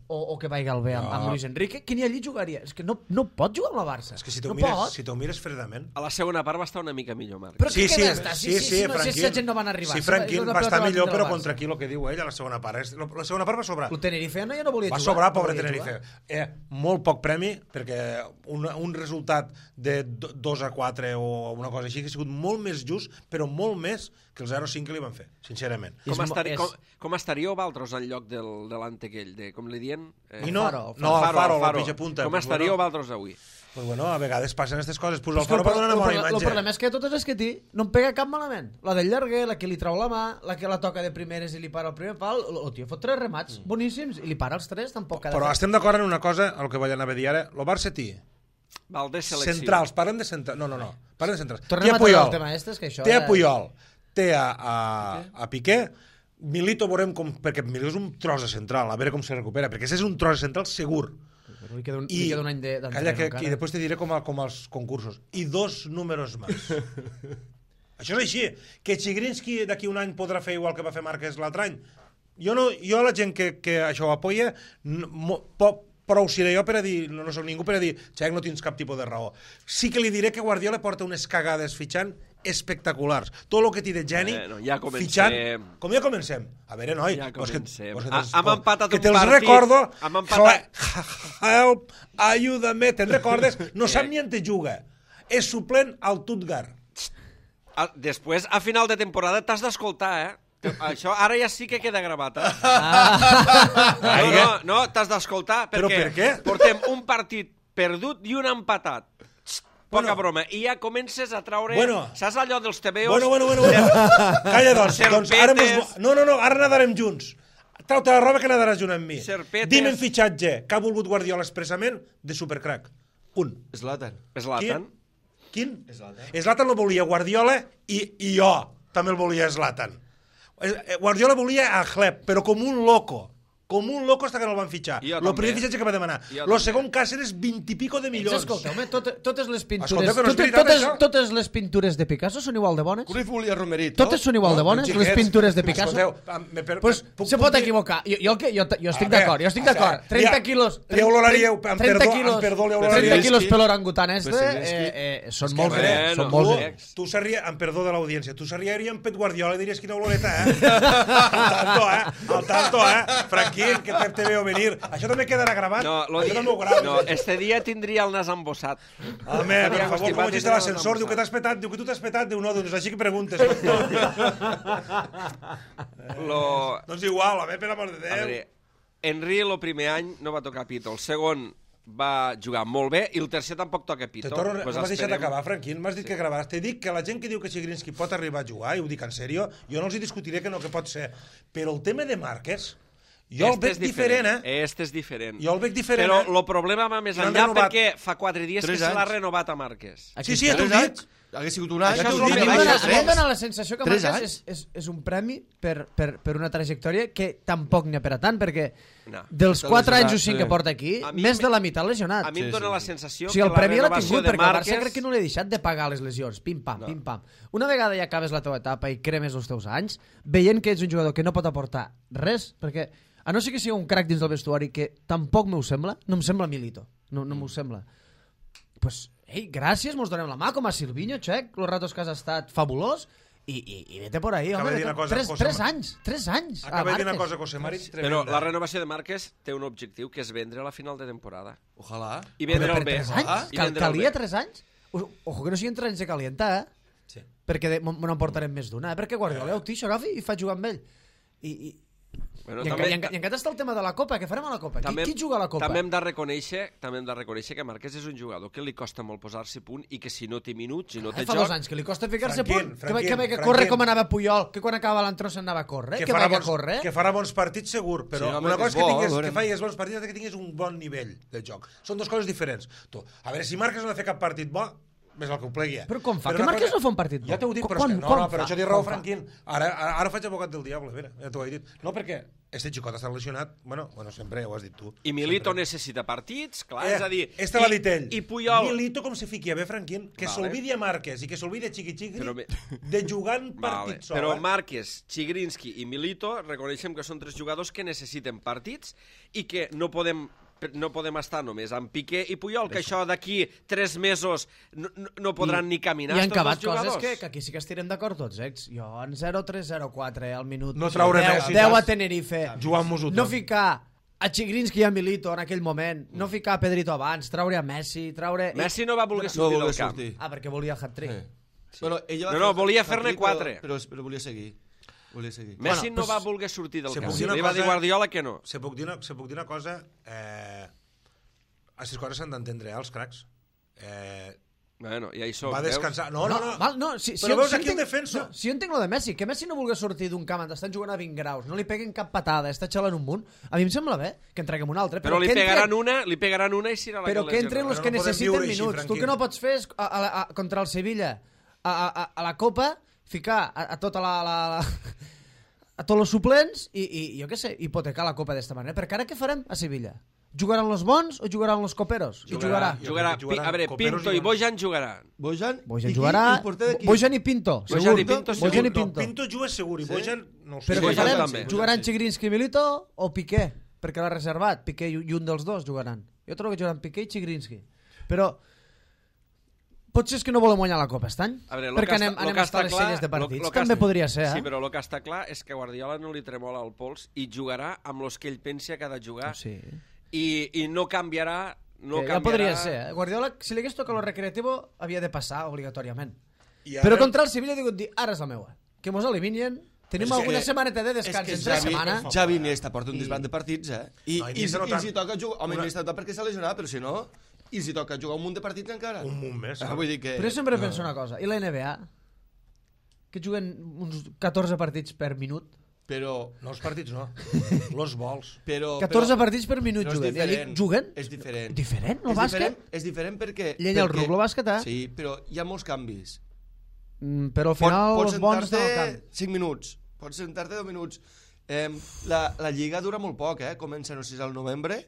o que vaiga al B amb Luis Enrique, que ni allí jugaria. És que no pot jugar amb la Barça. És que si t'ho mires fredament... A la segona part va estar una mica millor, Márquez. Però què d'estar? Si la gent no van arribar. Sí, Franquín va estar millor, però contra aquí el que diu ell a la segona part. La segona part va sobrar. El Tenerife no hi no volia jugar. Va sobrar, pobre Tenerife. Molt poc premi, perquè un resultat de 2-4 o una cosa així que ha sigut molt més just, però molt més que el 0-5 que li van fer, sincerament. Com estaríeu vosaltres en lloc de l'antequell? Com li diuen? El Faro, el pitja punta. Com estaríeu vosaltres avui? Pues bueno, a vegades passen aquestes coses. Pues el Faro va donar una bona imatge. El problema és que totes les que té no em pega cap malament. La del llarguer, la que li trau la mà, la que la toca de primeres i li para el primer pal, el tio fot 3 remats boníssims i li para els 3, tampoc cada Però estem d'acord en una cosa, el que vaig anar a dir ara, el Barça-Tí. Centrals, parlem de centrals. No. Parlem de centrals. Tornem a treure el tema este, és que això... Té a Puyol, té a Piqué, Milito veurem com... Perquè Milito és un tros de central, a veure com se recupera, perquè és un tros de central segur. Li queda un any calla, i després te diré com els concursos. I 2 números més. Això és així. Que Chigrinsky d'aquí un any podrà fer igual que va fer Márquez l'altre any. Jo la gent que això ho apoya, prou seré jo per a dir, no soc ningú per a dir, Xac, no tens cap tipus de raó. Sí que li diré que Guardiola porta unes cagades fitxant espectaculars. Tot el que té de geni, fitxant... Com ja comencem? A veure, noi... Ja comencem. Hem empatat un partit... Que te'ls recordo... Help, ayúdame, te'n recordes? No sap ni on te juga. És suplent al Tutgar. Després, a final de temporada, t'has d'escoltar, Això ara ja sí que queda gravat, No, t'has d'escoltar, perquè... Però per què? Portem un partit perdut i un empatat. Poca broma. I ja comences a traure... Saps allò dels tebeos? Calla, doncs ara... No, ara nadarem junts. Trau-te la roba que nadaràs junt amb mi. Dime en fitxatge que ha volgut Guardiola expressament de supercrack. Un. Zlatan. Quin? Zlatan el volia Guardiola i jo també el volia Zlatan. Guardiola volia a Hleb, però com un loco. Com un loco hasta que no el van fitxar. El primer fitxatge que va demanar. El segon Cáceres, 20 i pico de milions. Escolta, home, totes les pintures de Picasso són igual de bones? Cruyff volia Romerito. Totes són igual de bones, les pintures de Picasso? Pues se pot equivocar. Jo estic d'acord, 30 quilos... 30 quilos per l'orangutan són molts grecs. Tu seria, amb perdó de l'audiència, tu seria amb Pep Guardiola i diries quina oloreta, Al tanto, Franquí, que te veo venir. Això també quedarà gravat? No, este dia tindria el nas embossat. Home, per favor, com ho de l'ascensor, diu que t'has petat, diu que tu t'has petat, diu no, doncs així que preguntes. Doncs igual, per amor de Déu. Henry el primer any no va tocar pito, el segon va jugar molt bé i el tercer tampoc toca pito. M'has deixat d'acabar, Franquín, m'has dit que gravaràs. T'he dit que la gent que diu que Chigrinsky pot arribar a jugar, i ho dic en sèrio, jo no els discutiré que no, que pot ser. Però el tema de Márquez... Jo el veig diferent, Este és diferent. Jo el veig diferent, Però el problema va més enllà perquè fa 4 dies que se l'ha renovat a Márquez. Sí, ja t'ho dic. Hagués sigut un any. A mi em dóna la sensació que Márquez és un premi per una trajectòria que tampoc n'hi ha per a tant, perquè dels 4 anys o 5 que porta aquí, més de la meitat lesionat. A mi em dóna la sensació que la renovació de Márquez... Perquè el Barça crec que no l'he deixat de pagar les lesions. Pim-pam, pim-pam. Una vegada ja acabes la teva etapa i cremes els teus anys, veient que ets un jugador que no pot aportar res, perquè... A no ser que sigui un crack dins del vestuari, que tampoc m'ho sembla, no em sembla Milito, no m'ho sembla. Pues, gràcies, mos donem la mà, com a Silvinho, Xec, los ratos que has estat fabulós, i vete por ahí, home, 3 anys. Acaba de dir una cosa, José Mari, però la renovació de Márquez té un objectiu, que és vendre a la final de temporada. Ojalà. I vendre el bé. 3 anys? Calia 3 anys? Ojo que no siguin 3 anys de calientar, Sí. Perquè me n'emportarem més d'una, perquè Guardiola ho tixo, agafi i fa jugar amb ell. I encara està el tema de la Copa, què farem a la Copa? Qui juga a la Copa? També hem de reconèixer que Márquez és un jugador que li costa molt posar-se a punt i que si no té minuts, si no té joc... Fa 2 anys que li costa ficar-se a punt. Que corre com anava Puyol, que quan acaba l'entró s'anava a córrer. Que farà bons partits segur, però una cosa que facis bons partits és que tinguis un bon nivell de joc. Són dues coses diferents. A veure, si Márquez no ha fet cap partit bo, més el que ho plegui. Però com fa? Que Márquez no fa un partit bo? Ja t'ho dic, però això té raó, Franquín. Ara faig abogat del diable, ja t'ho he dit. No, perquè este xicot està lesionat, bueno, sempre ho has dit tu. I Milito necessita partits, clar, és a dir... Este l'ha dit ell. I Puyol... Milito com se fiqui a bé, Franquín, que s'olvidi a Márquez i que s'olvidi a Chiqui-Chiqui de jugar en partit sol. Però Márquez, Chigrinsky i Milito reconeixem que són 3 jugadors que necessiten partits i que no podem estar només amb Piqué i Puyol, que això d'aquí 3 mesos no podran ni caminar. I han acabat coses que aquí sí que estirem d'acord tots, Jo en 0-3, 0-4 al minut. No traure 10 a Tenerife. Jugant-nos-ho tot. No ficar a Chigrinsky i a Milito en aquell moment, no ficar a Pedrito abans, traure a Messi, Messi no va voler sortir del camp. perquè volia el hat-trick. Bueno, No, volia fer-ne 4. Però volia seguir. Messi no va voler sortir del camp. Li va dir Guardiola que no. Se puc dir una cosa... Aquestes coses s'han d'entendre, els cracs. Bueno, ja hi som. Va descansar. No. Però veus aquí el defensa. Si jo entenc lo de Messi, que Messi no vulgui sortir d'un camp on estan jugant a 20 graus, no li peguen cap patada, està xalant un munt, a mi em sembla bé que en treguem un altre. Però li pegaran una i serà la però que entren els que necessiten minuts. Tu que no pots fer és contra el Sevilla a la Copa ficar a tota a tots els suplents i jo què sé, hipotecar la Copa d'esta manera. Perquè ara què farem a Sevilla? Jugaran los bons o jugaran los coperos? Jugarà. A veure, Pinto i Bojan jugaran. Bojan jugarà. Bojan i Pinto. Bojan i Pinto. Pinto juga segur i Bojan no ho sé. Però què farem? Jugaran Chigrinsky i Milito o Piqué? Perquè l'ha reservat. Piqué i un dels dos jugaran. Jo trobo que jugaran Piqué i Chigrinsky. Però potser és que no volem guanyar la Copa aquest any, perquè anem a estar a les sèries de partits. També podria ser, Sí, però el que està clar és que Guardiola no li tremola el pols i jugarà amb els que ell pensa que ha de jugar. Sí. I no canviarà... Ja podria ser. Guardiola, si li hagués tocat lo recreativo, havia de passar obligatòriament. Però contra el Sevilla he dit, ara és la meua. Que mos eliminen, tenim alguna setmaneta de descans entre setmana. Xavi Iniesta porta un disbat de partits, I els hi toca jugar... Home, Iniesta perquè s'ha lesionat, però si no... I els hi toca jugar un munt de partits encara. Un munt més. Vull dir que... Però jo sempre penso una cosa. I la NBA? Que juguen uns 14 partits per minut? Però... No els partits, no. Los vols. 14 partits per minut juguen. I allí juguen? És diferent. Diferent, el bàsquet? És diferent perquè... Llenya el ruc, el bàsquet, Sí, però hi ha molts canvis. Però al final els bons estan al camp. 5 minuts. Pots sentar-te 2 minuts. La lliga dura molt poc, Comença, no sé si al novembre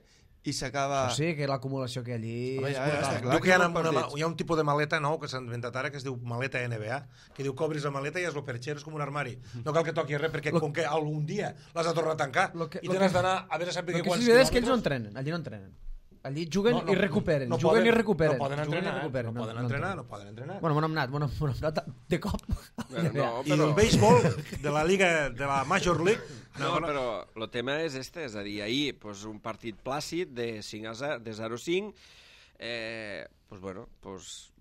i s'acaba... Sí, que l'acumulació que allí... Diu que hi ha un tipus de maleta nou que s'ha inventat ara que es diu maleta NBA, que diu que obris la maleta i és el perxero, és com un armari. No cal que toqui res perquè com que algun dia l'has de tornar a tancar i tens d'anar a veure saber quants quilòmetres... El que és que ells no entrenen, allí no entrenen. Allí juguen i recuperen, juguen i recuperen. No poden entrenar. Bueno, m'ho hem anat de cop. I el béisbol de la Liga, de la Major League... No, però el tema és és a dir, ahir un partit plàcid de 0-5,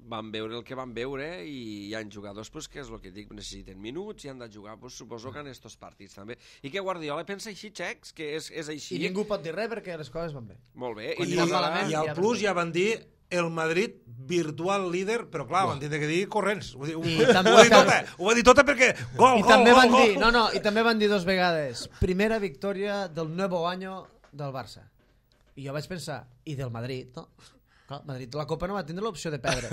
van veure el que van veure i hi ha jugadors que és el que dic, necessiten minuts i han de jugar, suposo que en estos partits també. I que Guardiola pensa així, Xecs, que és així. I ningú pot dir res perquè les coses van bé. Molt bé. I al plus ja van dir el Madrid virtual líder, però clar, van tindre que dir corrents. Ho va dir tota perquè gol. I també van dir 2 vegades primera victòria del nuevo año del Barça. I jo vaig pensar, i del Madrid, no? Clar, Madrid la Copa no va tindre l'opció de perdre.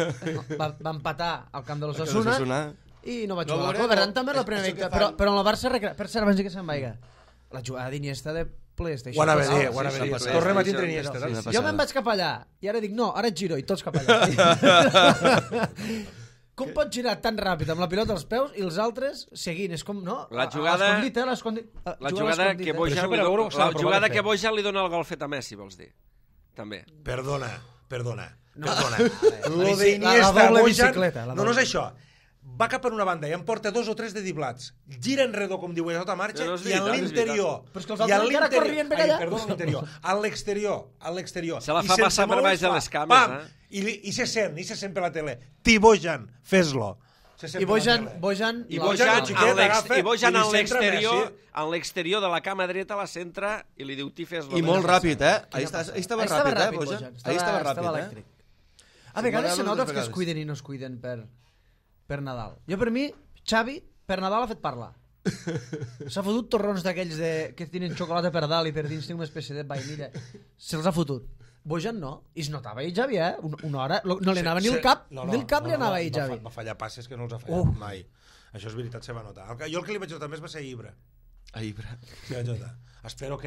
Va empatar al camp de l'Osasuna i no va jugar la Copa. Per tant, també la primera victòria. Però en el Barça, per cert, abans que se'n vaiga, la jugada d'Iniesta de PlayStation. Ho anava a dir. Tornem a tindre Iniesta. Jo me'n vaig cap allà i ara dic, no, ara et giro i tots cap allà. Com pots girar tan ràpid amb la pilota als peus i els altres seguint? És com, no? La jugada que Bojan li dona el gol fet a Messi, vols dir? També. Perdona. Lo d'Iniesta, Bojan... No és això. Va cap per una banda i en porta 2 o 3 de diblats. Gira enredor, com diu, a tota marxa, i a l'interior... Però és que els altres encara corrien per allà. Perdona, a l'interior. A l'exterior. Se la fa passar per baix de les cames, I se sent per la tele. Bojan, fes-lo. I Bojan a l'exterior de la cama dreta la centra i li diu fes-lo. I molt ràpid, Ahí estava ràpid, Bojan. Ahí estava ràpid, A vegades se nota que es cuiden i no es cuiden per Nadal. Jo, per mi, Xavi, per Nadal ha fet parlar. S'ha fotut torrons d'aquells que tenen xocolata per dalt i per dins té una espècie de vainilla. Se'ls ha fotut. Bojan no. I es notava ahir, Xavi, una hora. No li anava ni el cap. Ni el cap li anava ahir, Xavi. Va fallar passes que no els ha fallat mai. Això és veritat, se va notar. Jo el que li vaig notar més va ser a Ibra. A Ibra. Sí, vaig notar. Espero,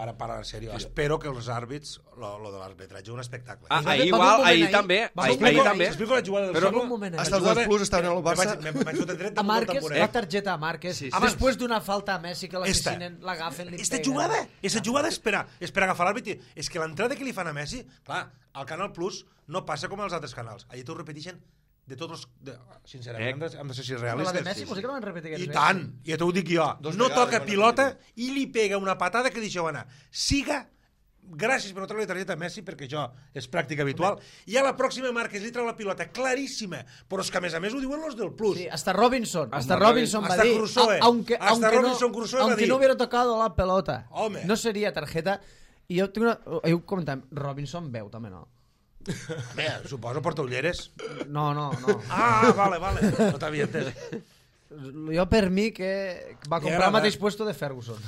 ara parlant en sèrio, espero que els àrbits, lo de l'arbitratge, un espectacle. Ahir igual, ahir també. S'explico la jugada del segon. Hasta els 2 plus estaven al Barça. A Márquez, la targeta a Márquez, després d'una falta a Messi que l'assassinen, l'agafen, li peguen. Aquesta jugada és per agafar l'àrbit. És que l'entrada que li fan a Messi, clar, al Canal Plus no passa com als altres canals. Allà t'ho repeteixen de tots els... Sincerament, hem de ser realistes. La de Messi, potser que no van repetir I tant, ja t'ho dic jo. No toca pilota i li pega una patada que deixeu anar. Siga gràcies per no treure la targeta a Messi, perquè això és pràctica habitual, i a la pròxima Márquez li treu la pilota claríssima, però és que a més ho diuen los del Plus. Sí, hasta Robinson va dir, Crusoe, aunque no hubiera tocado la pelota, home, no sería tarjeta. I jo tinc ho comentàvem, Robinson veu també, no? Bé, suposo porta ulleres. No. Ah, vale, no t'havia entès. Jo per mi que va comprar el mateix puesto de Ferguson.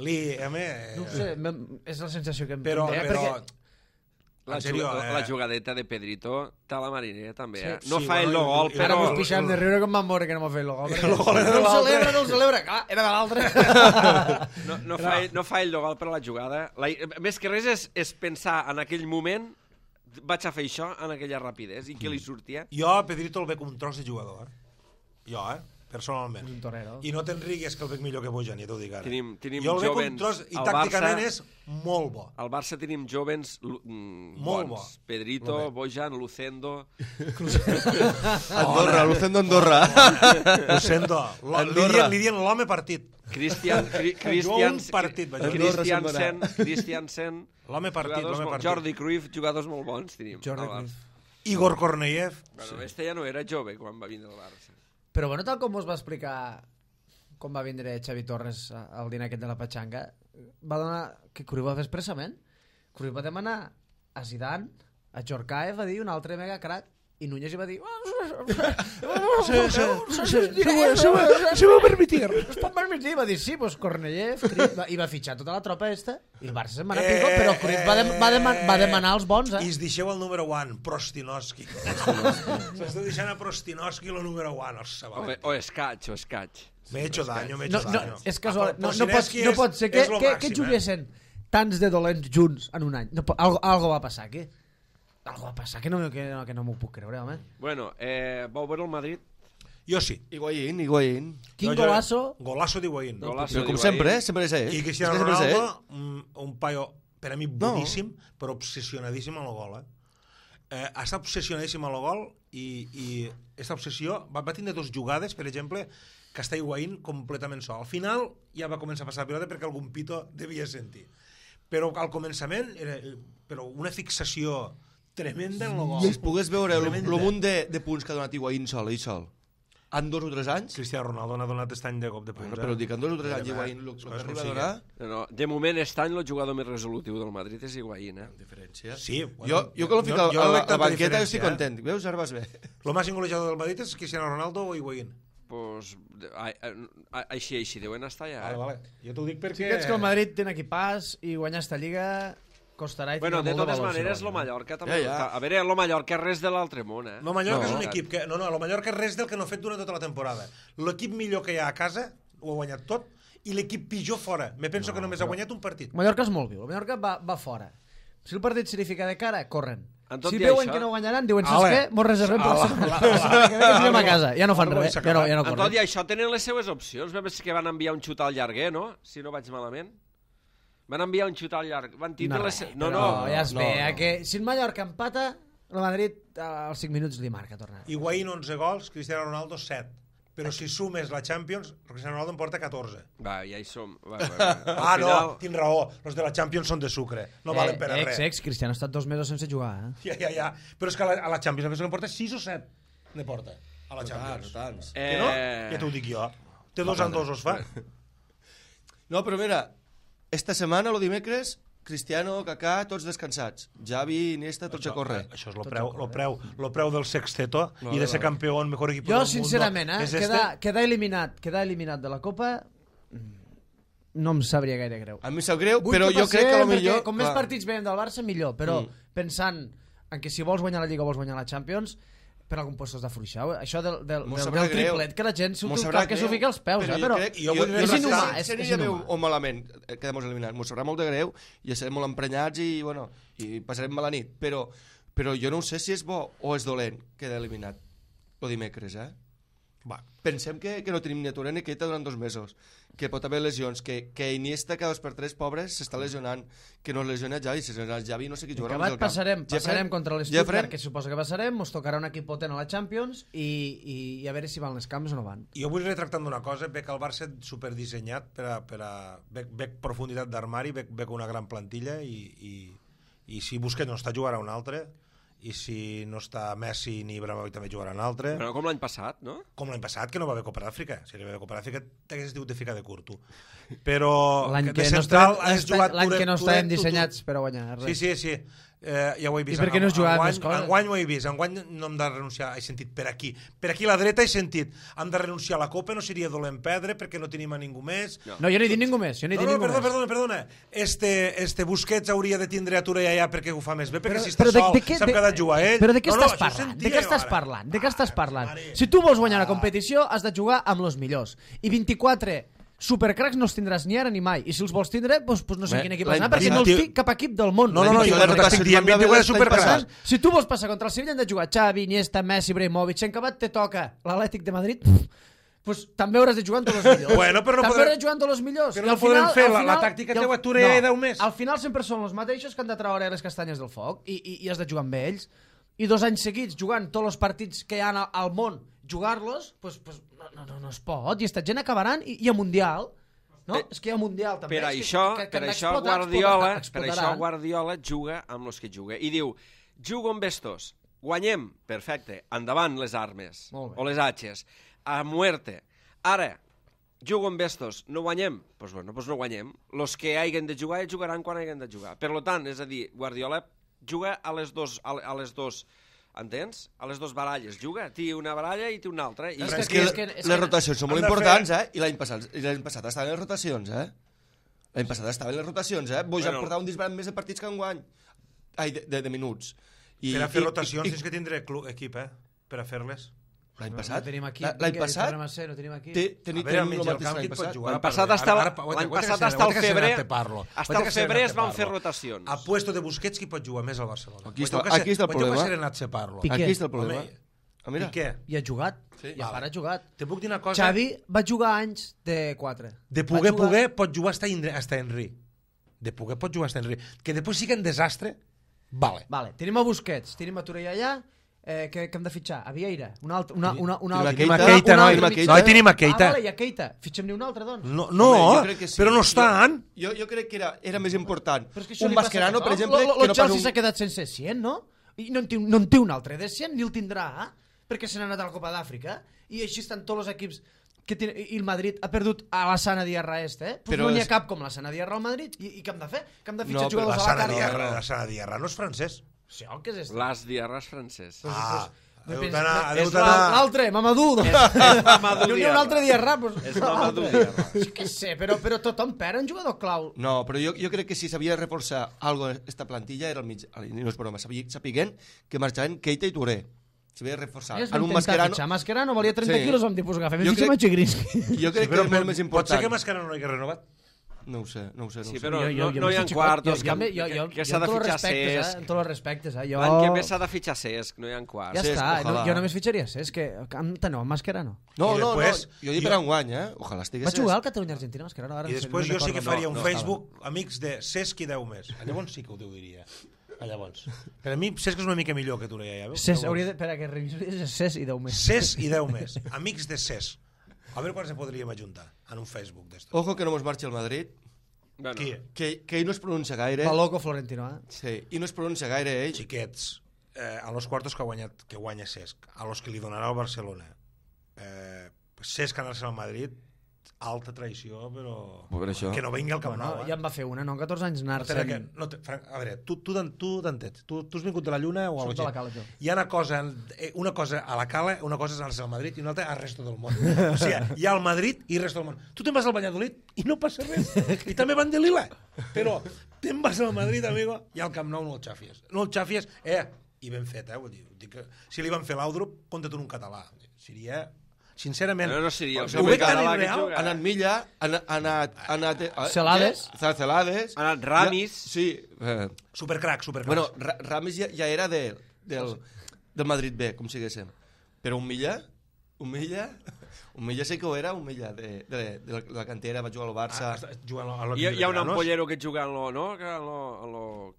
No sé, és la sensació que em però la jugadeta de Pedrito està a la Mariner també, no sí, fa el gol, però... Ara mos pixem de riure com vam veure que no m'ha fet el gol. No el celebra, clar, era de l'altre. No fa el gol per la jugada. Més que res és pensar en aquell moment, vaig a fer això en aquella rapidesa i que li sortia. Jo a Pedrito el veig com un tros de jugador, jo, personalment. Un torero. I no te'n rigues que el veig millor que Bojan, ja t'ho dic ara. Tenim jo el veig jovens, un tros i tàcticament és molt bo. Al Barça tenim jovens molt bons. Pedrito, Bojan, Lucendo... Andorra. Lucendo. Li dien l'home partit. Christiansen, l'home partit. Jordi Cruyff, jugadors molt bons tenim. Igor Korneyev. Bueno, este ja no era jove quan va vindre al Barça. Però bueno, tal com us va explicar com va vindre Xavi Torres al dinar aquest de la Patxanga, va donar que Cruyff va fer expressament. Cruyff va demanar a Zidane, a Djorkaeff, va dir un altre mega crack, i Núñez hi va dir se va permitir, va dir sí, pues Korneyev i va fitxar tota la tropa esta i el Barça se'n va anar pico, però Cruyff va demanar els bons, i es deixeu el número 1, Prostinoski. S'està deixant a Prostinoski el número 1, o Escaig. Me he hecho daño. És casual, no pot ser que juguessin tants de dolents junts en un any. Algo va passar aquí. Algo va passar que no m'ho puc creure, home. Bueno, vau veure el Madrid? Jo sí. Higuaín. Quin golazo? Golazo d'Higuaín. Però com sempre, sempre és ell. I Cristiano Ronaldo, un paio per a mi boníssim, però obsessionadíssim amb el gol. Ha estat obsessionadíssim amb el gol i aquesta obsessió va tindre dues jugades, per exemple, que està Higuaín completament sol. Al final ja va començar a passar la pilota perquè algun pito devia sentir. Però al començament era una fixació tremenda en el gol. Si es pogués veure el munt de punts que ha donat Higuaín sol, en 2 o 3 anys... Cristiano Ronaldo n'ha donat aquest any de cop de punts. Però dic, en 2 o 3 anys Higuaín el que arriba a donar... No, de moment, aquest any el jugador més resolutiu del Madrid és Higuaín, Diferència. Sí. Jo que l'ho fico a la banqueta jo estic content. Veus, ara vas bé. El màxim golejador del Madrid és Cristiano Ronaldo o Higuaín? Pues així deuen estar ja. Vale. Jo t'ho dic perquè... Sí que ets que el Madrid té un equipàs i guanyar esta lliga... costarà i bueno, de totes maneres, lo Mallorca també... A veure, lo Mallorca res de l'altre món, Lo Mallorca és un equip que... No, lo Mallorca és res del que no ha fet durant tota la temporada. L'equip millor que hi ha a casa ho ha guanyat tot i l'equip pitjor fora. Me penso que només ha guanyat un partit. Mallorca és molt viu. El Mallorca va fora. Si el partit se li fica de cara, corren. Si veuen que no guanyaran, diuen, saps què? Mos reservem per la setmana que anem a casa. Ja no fan res, ja no corren. Tot i això tenen les seues opcions. Veus que van enviar un xut al llarguer, no? Si no vaig malament. Van enviar un xut al llarg. No, ja es ve. Que si el Mallorca empata, el Madrid als 5 minuts li marca tornar. Higuaín 11 gols, Cristiano Ronaldo 7. Però si sumes la Champions, Cristiano Ronaldo en porta 14. Va, ja hi som. No, tinc raó. Els de la Champions són de sucre. No valen per a res. Cristiano ha estat 2 mesos sense jugar. Ja. Però és que a la Champions penso que en porta 6 o 7. Ne porta. A la Champions. Tants. Que no? Ja t'ho dic jo. Té 2 en 2 os fa. No, però mira... Esta setmana, el dimecres, Cristiano, Kaká, tots descansats. Javi, Iniesta, tots a córrer. Això és lo preu del sexteto i de ser campió en mejor equip del mundo. Jo, sincerament, quedar eliminat de la Copa no em sabria gaire greu. A mi em sap greu, però jo crec que millor... Com més partits veiem del Barça, millor. Però pensant en que si vols guanyar la Lliga o vols guanyar la Champions... per algun puesto has d'afluixar. Això del triplet, que la gent s'ho fica als peus, però és inhumà. Seria bé o malament, quedem eliminats. M'ho sabrà molt de greu i estarem molt emprenyats i passarem mala nit. Però jo no sé si és bo o és dolent quedar eliminat el dimecres, Pensem que no tenim ni Touré ni Keita durant 2 mesos, que pot haver lesions, que Iniesta cada 2x3, pobres, s'està lesionant, que no es lesiona Javi, si es lesiona Javi no sé qui jugarà al camp. Passarem contra l'Stuttgart, que suposa que passarem, ens tocarà un equip potent a la Champions i a veure si van les camps o no van. Jo vull retractar d'una cosa, veig el Barça superdissenyat veig profunditat d'armari, veig una gran plantilla i si Busquets no està jugarà un altre, i si no està Messi ni Ibrahimovic també jugarà un altre. Però com l'any passat, no? Com l'any passat, que no va haver Copa d'Àfrica. Si no va haver Copa d'Àfrica, t'hagués dit de ficar de curto. Però l'any que no estàvem dissenyats per a guanyar res. Sí. Ja ho he vist. I per què no has jugat més coses? Enguany ho he vist. Enguany no hem de renunciar. He sentit per aquí a la dreta he sentit hem de renunciar a la Copa, no seria dolent perdre perquè no tenim a ningú més. No, jo no he dit ningú més. Perdona. Este Busquets hauria de tindre a Touré allà perquè ho fa més bé, perquè si està sol s'ha quedat a jugar ell. Però de què estàs parlant? De què estàs parlant? Si tu vols guanyar la competició has de jugar amb els millors. I 24 supercracs no els tindràs ni ara ni mai, i si els vols tindre doncs no sé quin equip has d'anar, perquè no els tinc cap equip del món. No, jo t'estic dient 24 supercracs. Si tu vols passar contra el Sevilla han de jugar Xavi, Iniesta, Messi, Ibrahimovic, si en acabat te toca l'Atlètic de Madrid, pues també hauràs de jugar amb tots els millors. També hauràs de jugar amb tots els millors. Però no podem fer la tàctica teva Touré 10 més. Al final sempre són els mateixos que han de treure les castanyes del foc i has de jugar amb ells, i 2 anys seguits jugant tots els partits que hi ha al món, jugar-los, pues no es pot, i esta gent acabaran i a Mundial. No? És que hi ha Mundial també. Per això Guardiola juga amb els que juga i diu, jugo amb estos, guanyem, perfecte, endavant les armes o les atxes, a muerte. Ara, jugo amb estos, no guanyem, doncs no guanyem. Los que hagin de jugar jugaran quan hagin de jugar. Per tant, és a dir, Guardiola juga a les dos entens? A les 2 baralles. Juga, té una baralla i té una altra. És que les rotacions són molt importants, I l'any passat estaven les rotacions, L'any passat estaven les rotacions, Boix ha portat un disbarat més de partits que enguany. Ai, de minuts. Per a fer rotacions tens que tindre equip, per a fer-les. L'any passat? L'any passat? No tenim aquí. Tenim el mateix l'any passat. L'any passat hasta el febrer es van fer rotacions. A puesto de Busquets qui pot jugar més al Barcelona. Aquí està el problema. Aquí està el problema. Piqué. I ha jugat. I a part ha jugat. Te puc dir una cosa? Xavi va jugar anys de 4. De poder pot jugar hasta Henry. De poder pot jugar hasta Henry. Que després sigui un desastre, vale. Tenim a Busquets, tenim a Touré allà. Que hem de fitxar? A Vieira? Un altre? Tenim a Keita. I a Keita. Fitxem-ne un altre, doncs? No, però no estan. Jo crec que era més important. Un Mascherano, per exemple... El Chelsea s'ha quedat sense 100, no? I no en té un altre de 100, ni el tindrà, perquè se n'ha anat a la Copa d'Àfrica. I així estan tots els equips... I el Madrid ha perdut a la Sana Diarra no n'hi ha cap com la Sana Diarra al Madrid. I què hem de fer? Que hem de fitxar jugadors a la carta? La Sana Diarra no és francès. Sí, què és esto? Las Diarras francès. És l'altre, Mamadou. No hi ha un altre Diarra. És Mamadou Diarra. Què sé, però tothom perd un jugador clau. No, però jo crec que si s'havia de reforçar algo esta plantilla era el mig... No és broma, sapiguent que marxaven Keita i Touré. S'havia de reforçar. En un Mascherano valia 30 quilos, vam dir, pues agafem i fitxem a Chigrinsky. Jo crec que és molt més important. Pot ser que Mascherano no hagi renovat? No ho sé. Sí, però no hi ha quartos, que s'ha de fitxar Cesc. En tots els respectes, L'any que més s'ha de fitxar Cesc, no hi ha quarts. Ja està, jo només fitxaria Cesc, no, Mascherano. No, jo dic per enguany, ojalà estigués Cesc. Va jugar al Catalunya-Argentina, Mascherano. I després jo sí que faria un Facebook, amics de Cesc i 10 més. Llavors sí que ho diria. Llavors. Per a mi Cesc és una mica millor que Touré, ja veus? Cesc, hauria de... Espera, que revisionis Cesc i 10 més. Cesc i 10 més. Amics de Cesc. A veure quan se podríem ajuntar en un Facebook d'estos. Ojo que no mos marxi el Madrid. Bueno. Qui? Que ell no es pronuncia gaire. Paloco Florentino, Sí, i no es pronuncia gaire ell. Xiquets, a los quartos que guanya Cesc, a los que li donarà el Barcelona, Cesc anar-se al Madrid, alta traïció, però que no vingui al Camp Nou. Ja en va fer una, no? 14 anys anar-se'n... A veure, tu t'entens. Tu has vingut de la Lluna o a la Cala, jo. Hi ha una cosa a la Cala, una cosa és anar-se al Madrid i una altra al resto del món. O sigui, hi ha el Madrid i el resto del món. Tu te'n vas al Valladolid i no passa res. I també van de Lila. Però te'n vas al Madrid, amigo, i al Camp Nou no el xafies. No el xafies, i ben fet, vull dir que si li van fer l'Audrup, compta't en un català. Seria... Sincerament, no seria ho veig tan irreal. Ha anat Milla, ha anat Celades, ha anat Ramis. Sí. Supercrac. Bueno, Ramis ja era del Madrid B, com siguéssim. Però un Milla Humilla sí que ho era, Humilla, de la cantera, va jugar al Barça. Hi ha un ampollero que juga en lo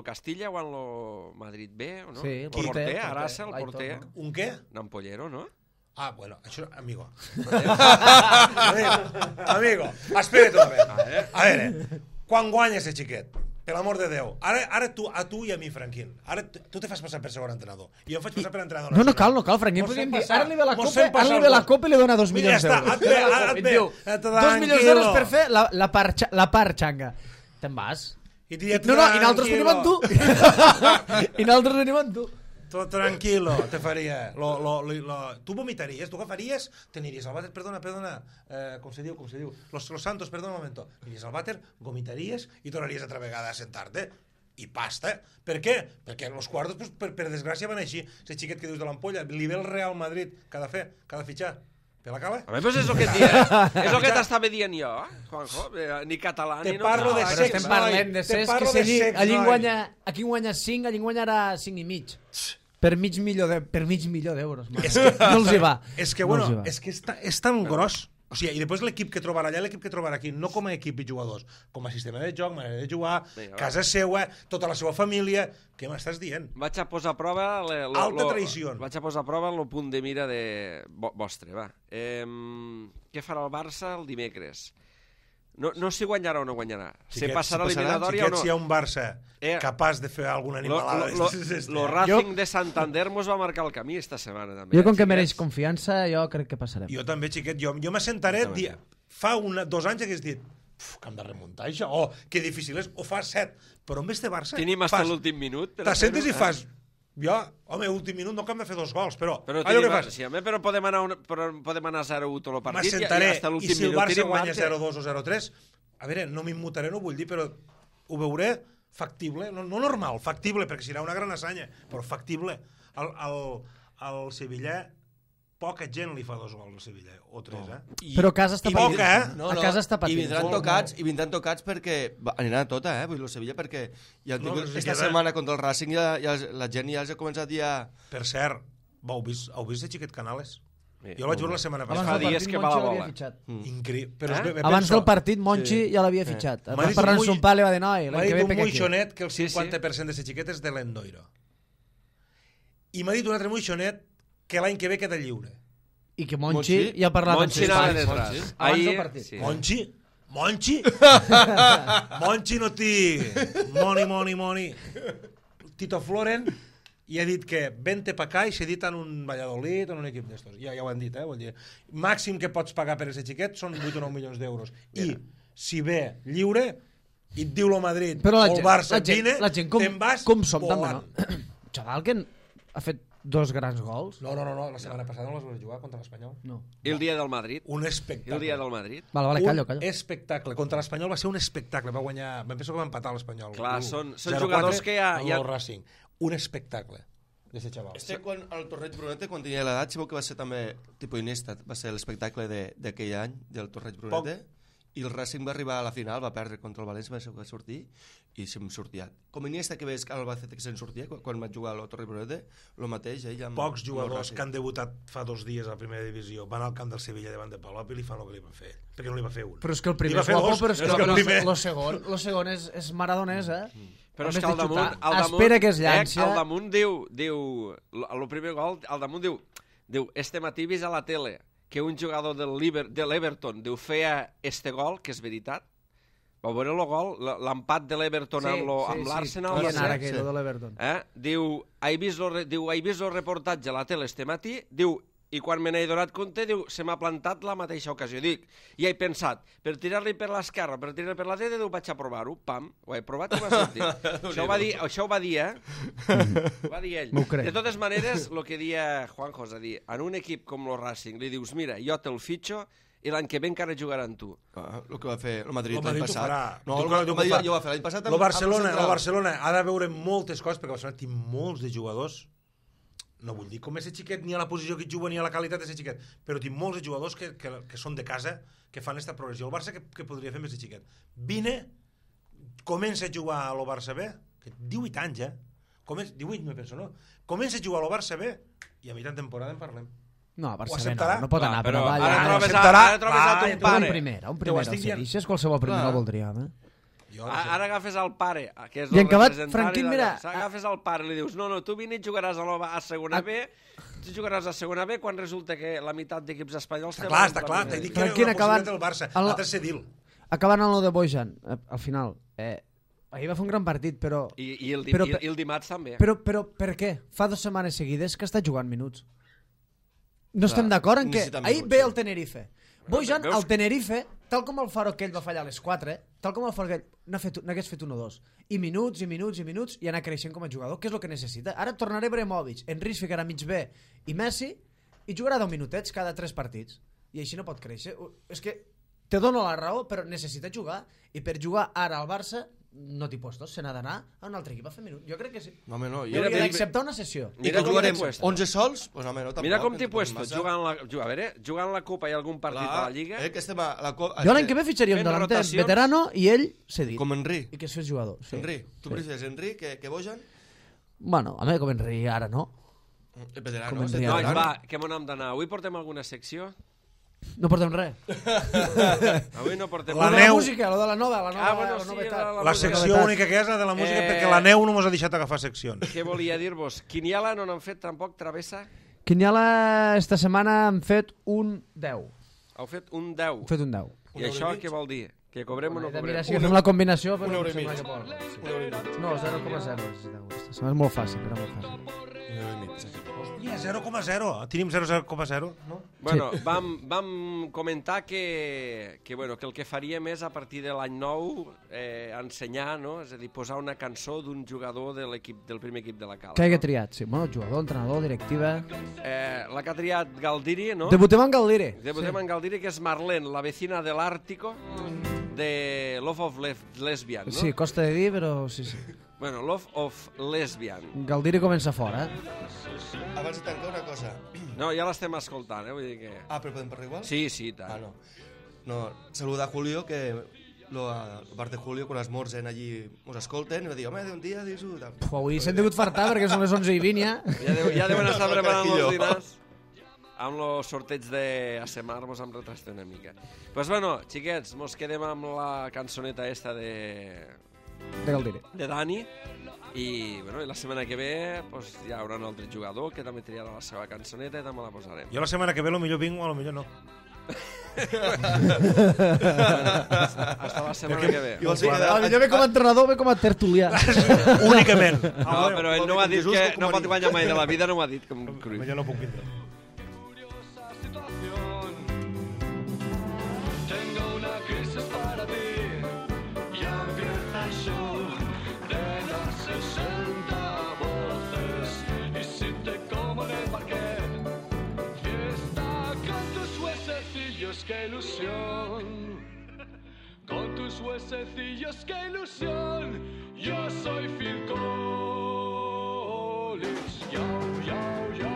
Castilla o en lo Madrid B, ¿no? Sí, el porter, Arasa, el porter. Un què? Un ampollero, ¿no? Ah, bueno, això, amigo. Amigo, espera't una vez. A veure, quan guanyes el xiquet? Per l'amor de Déu. Ara a tu i a mi, Franquín. Ara tu te fas passar per segon entrenador. I jo em faig passar per entrenador. No cal, Franquín. Ara li ve la Copa i li dona 2 milions d'euros. Et ve, 2 milions d'euros per fer la part xanga. Te'n vas? No, i nosaltres venim amb tu. I nosaltres venim amb tu. Tot tranquilo, te faria. Tu vomitaries, tu agafaries, t'aniries al vàter, perdona, com se diu? Los Santos, perdona un moment. Aniries al vàter, vomitaries i tornaries altra vegada a sentar-te. I pasta. Per què? Perquè els quartos, pues, per desgràcia, van així. Ese xiquet que dius de l'ampolla, li ve el Real Madrid, cada fitxar. Per la cala? A veure, és el que et dia. És el que t'estava dient jo, Juanjo. Ni català, ni no. Parlo de Però estem parlant de sex, que allí guanya 5, allí guanyarà 5 i mig. Per mig milió d'euros. No els hi va. És que, bueno, és tan gros. O sigui, i després l'equip que trobarà allà, l'equip que trobarà aquí, no com a equip i jugadors, com a sistema de joc, manera de jugar, casa seva, tota la seva família. Què m'estàs dient? Vaig a posar a prova... Alta traïció. Vaig a posar a prova el punt de mira vostre, va. Què farà el Barça el dimecres? No si guanyarà o no guanyarà. Se passarà l'eliminatòria o no. Si hi ha un Barça capaç de fer alguna animalada... Lo Racing de Santander mos va marcar el camí esta setmana, també. Jo, com que mereix confiança, jo crec que passarem. Jo també, xiquet. Jo m'assentaré... Fa 2 anys hagués dit que hem de remuntar això, o que difícil és, o fa 7. Però en vez de Barça... Tenim fins l'últim minut. T'assentes i fas... Jo, home, últim minut no que hem de fer 2 gols, però podem anar 0-1 tot el partit. M'assentaré, i si el Barça guanya 0-2 o 0-3, a veure, no m'immutaré, no vull dir, però ho veuré factible, no normal, factible, perquè serà una gran assanya, però factible. Al Sevilla, poca gent li fa 2 gols al Sevilla, o 3, Però a casa està patint. A casa està patint. I vindran tocats perquè aniran a tota, vull dir, el Sevilla, perquè ja han tingut esta setmana contra el Racing la gent ja els ha començat ja... Per cert, heu vist el xiquet Canales? Jo el vaig veure la setmana passada. Fa dies que va la bola. Increïble. Abans del partit, Monchi ja l'havia fitxat. Va parlar amb son pare i va dir, noi, m'ha dit un moixonet que el 50% de xiquet és de l'Endoiro. I m'ha dit un altre moixonet que l'any que ve queda lliure. I que Monchi ja parlava Monchi anava detrás. Abans del partit. Monchi no té money. Tito Floren i ha dit que vente pa acá i s'ha dit en un Valladolid o en un equip d'estos. Ja ho han dit, Vol dir, màxim que pots pagar per aquest xiquet són 8 o 9 milions d'euros. I si ve lliure i et diu lo Madrid o el Barça vine, te'n vas volant. Xaval que ha fet 2 grans gols. No, la setmana passada no les vas jugar contra l'Espanyol. No. I el dia del Madrid? Un espectacle. El dia del Madrid? Vale, callo. Un espectacle. Contra l'Espanyol va ser un espectacle. Va guanyar... Em penso que va empatar l'Espanyol. Clar, són jugadors que ja... El Racing. Un espectacle d'aquest xaval. Quan el Torreig Brunete, quan tenia l'edat, sabeu que va ser també tipus Iniesta. Va ser l'espectacle d'aquell any del Torreig Brunete. I el Racing va arribar a la final, va perdre contra el València, va sortir i se'm sortia. Com Iniesta que veus que el Albacete que se'n sortia quan va jugar al Torreig Brunete, el mateix ell amb pocs jugadors que han debutat fa 2 dies a la primera divisió van al camp del Sevilla davant de Palop i li fan el que li van fer ell, perquè no li va fer un. Però és que el primer és guapo, però és que el segon és maradonès, Però és que al damunt espera que es llanci. Al damunt diu el primer gol, al damunt diu este matí vist a la tele que un jugador de l'Everton feia este gol, que és veritat. Vau veure el gol, l'empat de l'Everton amb l'Arsenal. Sí, de l'Everton. Diu, he vist el reportatge a la tele este matí, diu, i quan me n'he donat compte, diu, se m'ha plantat la mateixa ocasió. Dic, i he pensat, per tirar-li per l'esquerra, per tirar-li per la dreta, diu, vaig a provar-ho, pam, ho he provat i m'ha sortit. Això ho va dir, Ho va dir ell. De totes maneres, el que dia Juanjo, és a dir, en un equip com el Racing, li dius, mira, jo te'l fitxo i l'any que ve encara jugarà amb tu. El que va fer el Madrid l'any passat. No, el Madrid jo va fer l'any passat. El Barcelona ha de veure moltes coses, perquè el Barcelona té molts de jugadors. No vull dir com és el xiquet, ni a la posició que juga, ni a la qualitat de xiquet, però tinc molts jugadors que són de casa, que fan aquesta progressió. El Barça que podria fer més el xiquet? Vine, comença a jugar a lo Barça B, que 18 anys, 18 me penso, no? Comença a jugar a lo Barça B i a mitjà temporada en parlem. No, a Barça acceptarà? no pot anar per però avall. ara trobes acceptarà? a ton Un pare. primer. Si deixes qualsevol primer el voldríem, Ara agafes el pare, que és I el en acabat, representari Franquín, mira... agafes el pare i li dius, no, tu vine i jugaràs a segona B, tu jugaràs a segona B quan resulta que la meitat d'equips espanyols... Està clar, t'he dit que era una possibilitat del Barça, l'altre ser Dil. Acabant amb el de Bojan, al final, ahir va fer un gran partit, però... I el dimarts també. Però per què? Fa 2 setmanes seguides que està jugant minuts. No estem d'acord en que... Ahir ve el Tenerife. Bojan, al Tenerife, tal com el Faro aquell va fallar a les 4, tal com el Faro aquell n'hagués fet 1-2. I minuts, i anar creixent com a jugador, que és el que necessita. Ara tornarà Ibrahimovic, Henry es ficarà mig bé i Messi, i jugarà 10 minutets cada 3 partits. I així no pot créixer. És que te dono la raó, però necessita jugar. I per jugar ara al Barça, no t'hi puestos, se n'ha d'anar a un altre equip a fer minuts. Jo crec que sí. No, home, no. I hauria d'acceptar una sessió. I que jugarem 11 sols? Pues, home, no, tampoc. Mira com t'hi puesto, jugant la Copa i algun partit a la Lliga. Que estem a la Copa... Jo l'any que ve fitxaria un delanter veterano i ell cedit. Com Henry. I que es fes jugador. Sí. Henry. Tu prefieres Henry que Bojan? Bueno, a mi com Henry ara no. Veterano. Nois, va, que m'on hem d'anar? Avui portem alguna secció? No portem res. Avui no portem La res. música, lo de la nova, la secció única que és la de la música, perquè la neu no mos ha deixat agafar seccions. Què volia dir-vos? Quiniela no n'han fet tampoc, Travessa? Quiniela esta setmana han fet un 10. Heu fet un 10. Hem fet un 10. I això què vol dir? Que cobrem o no cobrem? Mira, si fem la combinació... Un euro i mig. No, 0,0. És molt fàcil, era molt fàcil. Hòstia, 0,0. Tenim 0,0, no? Bueno, vam comentar que el que faríem és a partir de l'any nou ensenyar, no? És a dir, posar una cançó d'un jugador del primer equip de la Cala. Que hagi triat, sí. Bueno, jugador, entrenador, directiva... La que ha triat Galdiri, no? Debutem en Galdiri. Debutem en Galdiri, que és Marlene, la vecina de l'Ártico, de Love of Lesbian, no? Sí, costa de dir, però sí. Bueno, Love of Lesbian. Galdiri comença fora, Abans de tancar una cosa. No, ja l'estem escoltant, vull dir que... Però podem parlar igual? Sí, tant. No, saluda a Julio, que part de Julio, quan els morts allí ens escolten, i va dir, home, d'un dia, dis-ho... Avui s'han degut fartar, perquè són les 11:20 ja. Ja deuen estar preparant els dinars. Amb el sorteig d'Asemar mos hem retrastat una mica. Pues bueno, xiquets, mos quedem amb la cançoneta esta de Galdiri. De Dani. I la setmana que ve hi haurà un altre jugador que també triarà la seva cançoneta i també la posarem. Jo la setmana que ve potser vinc o potser no. Hasta la setmana que ve. Jo ve com a entrenador, ve com a tertulià. Únicament. No, però ell no m'ha dit que no pot guanyar mai de la vida, no m'ha dit com Cruyff. Jo no puc vindre. ¡Qué ilusión! Con tus huesecillos, qué ilusión. Yo soy Phil Collins. Yo, yo, yo.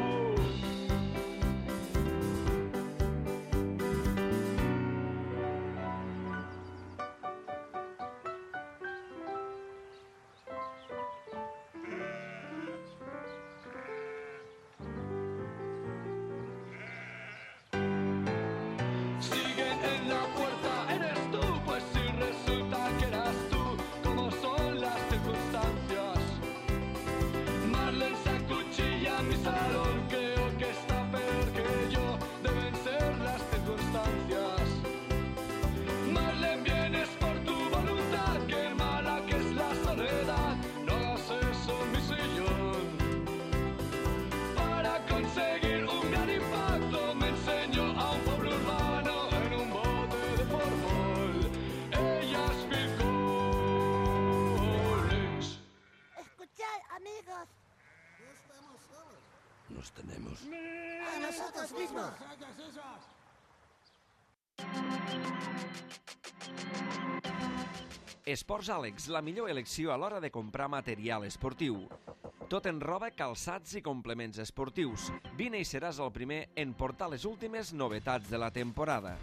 Nos tenemos. A nosotros mismos. Esports Àlex, la millor elecció a l'hora de comprar material esportiu. Tot en roba, calçats i complements esportius. Vine i seràs el primer en portar les últimes novetats de la temporada.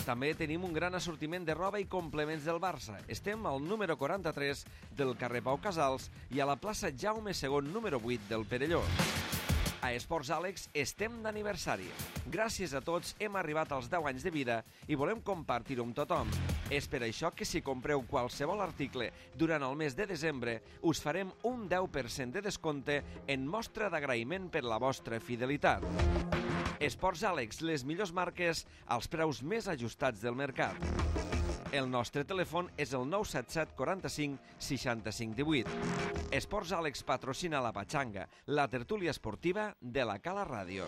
També tenim un gran assortiment de roba i complements del Barça. Estem al número 43 del carrer Pau Casals i a la plaça Jaume II, número 8 del Perelló. A Esports Àlex estem d'aniversari. Gràcies a tots hem arribat als 10 anys de vida i volem compartir-ho amb tothom. És per això que si compreu qualsevol article durant el mes de desembre, us farem un 10% de descompte en mostra d'agraïment per la vostra fidelitat. Esports Àlex, les millors marques als preus més ajustats del mercat. El nostre telèfon és el 977 45 65 18. Esports Àlex patrocina la Patxanga, la tertúlia esportiva de la Cala Ràdio.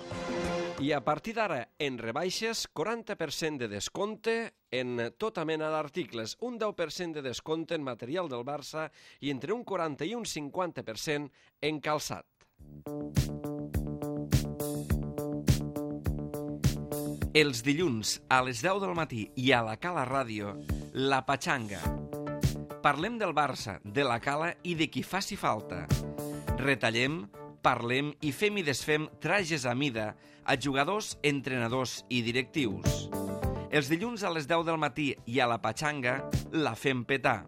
I a partir d'ara, en rebaixes, 40% de descompte en tota mena d'articles, un 10% de descompte en material del Barça i entre un 40 i un 50% en calçat. Els dilluns a les 10 del matí i a la Cala Ràdio, La Patxanga. Parlem del Barça, de la Cala i de qui faci falta. Retallem, parlem i fem i desfem trajes a mida a jugadors, entrenadors i directius. Els dilluns a les 10 del matí i a La Patxanga la fem petar.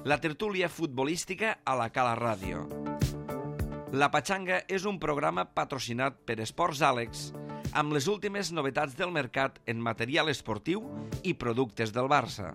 La tertúlia futbolística a la Cala Ràdio. La Patxanga és un programa patrocinat per Esports Àlex, amb les últimes novetats del mercat en material esportiu i productes del Barça.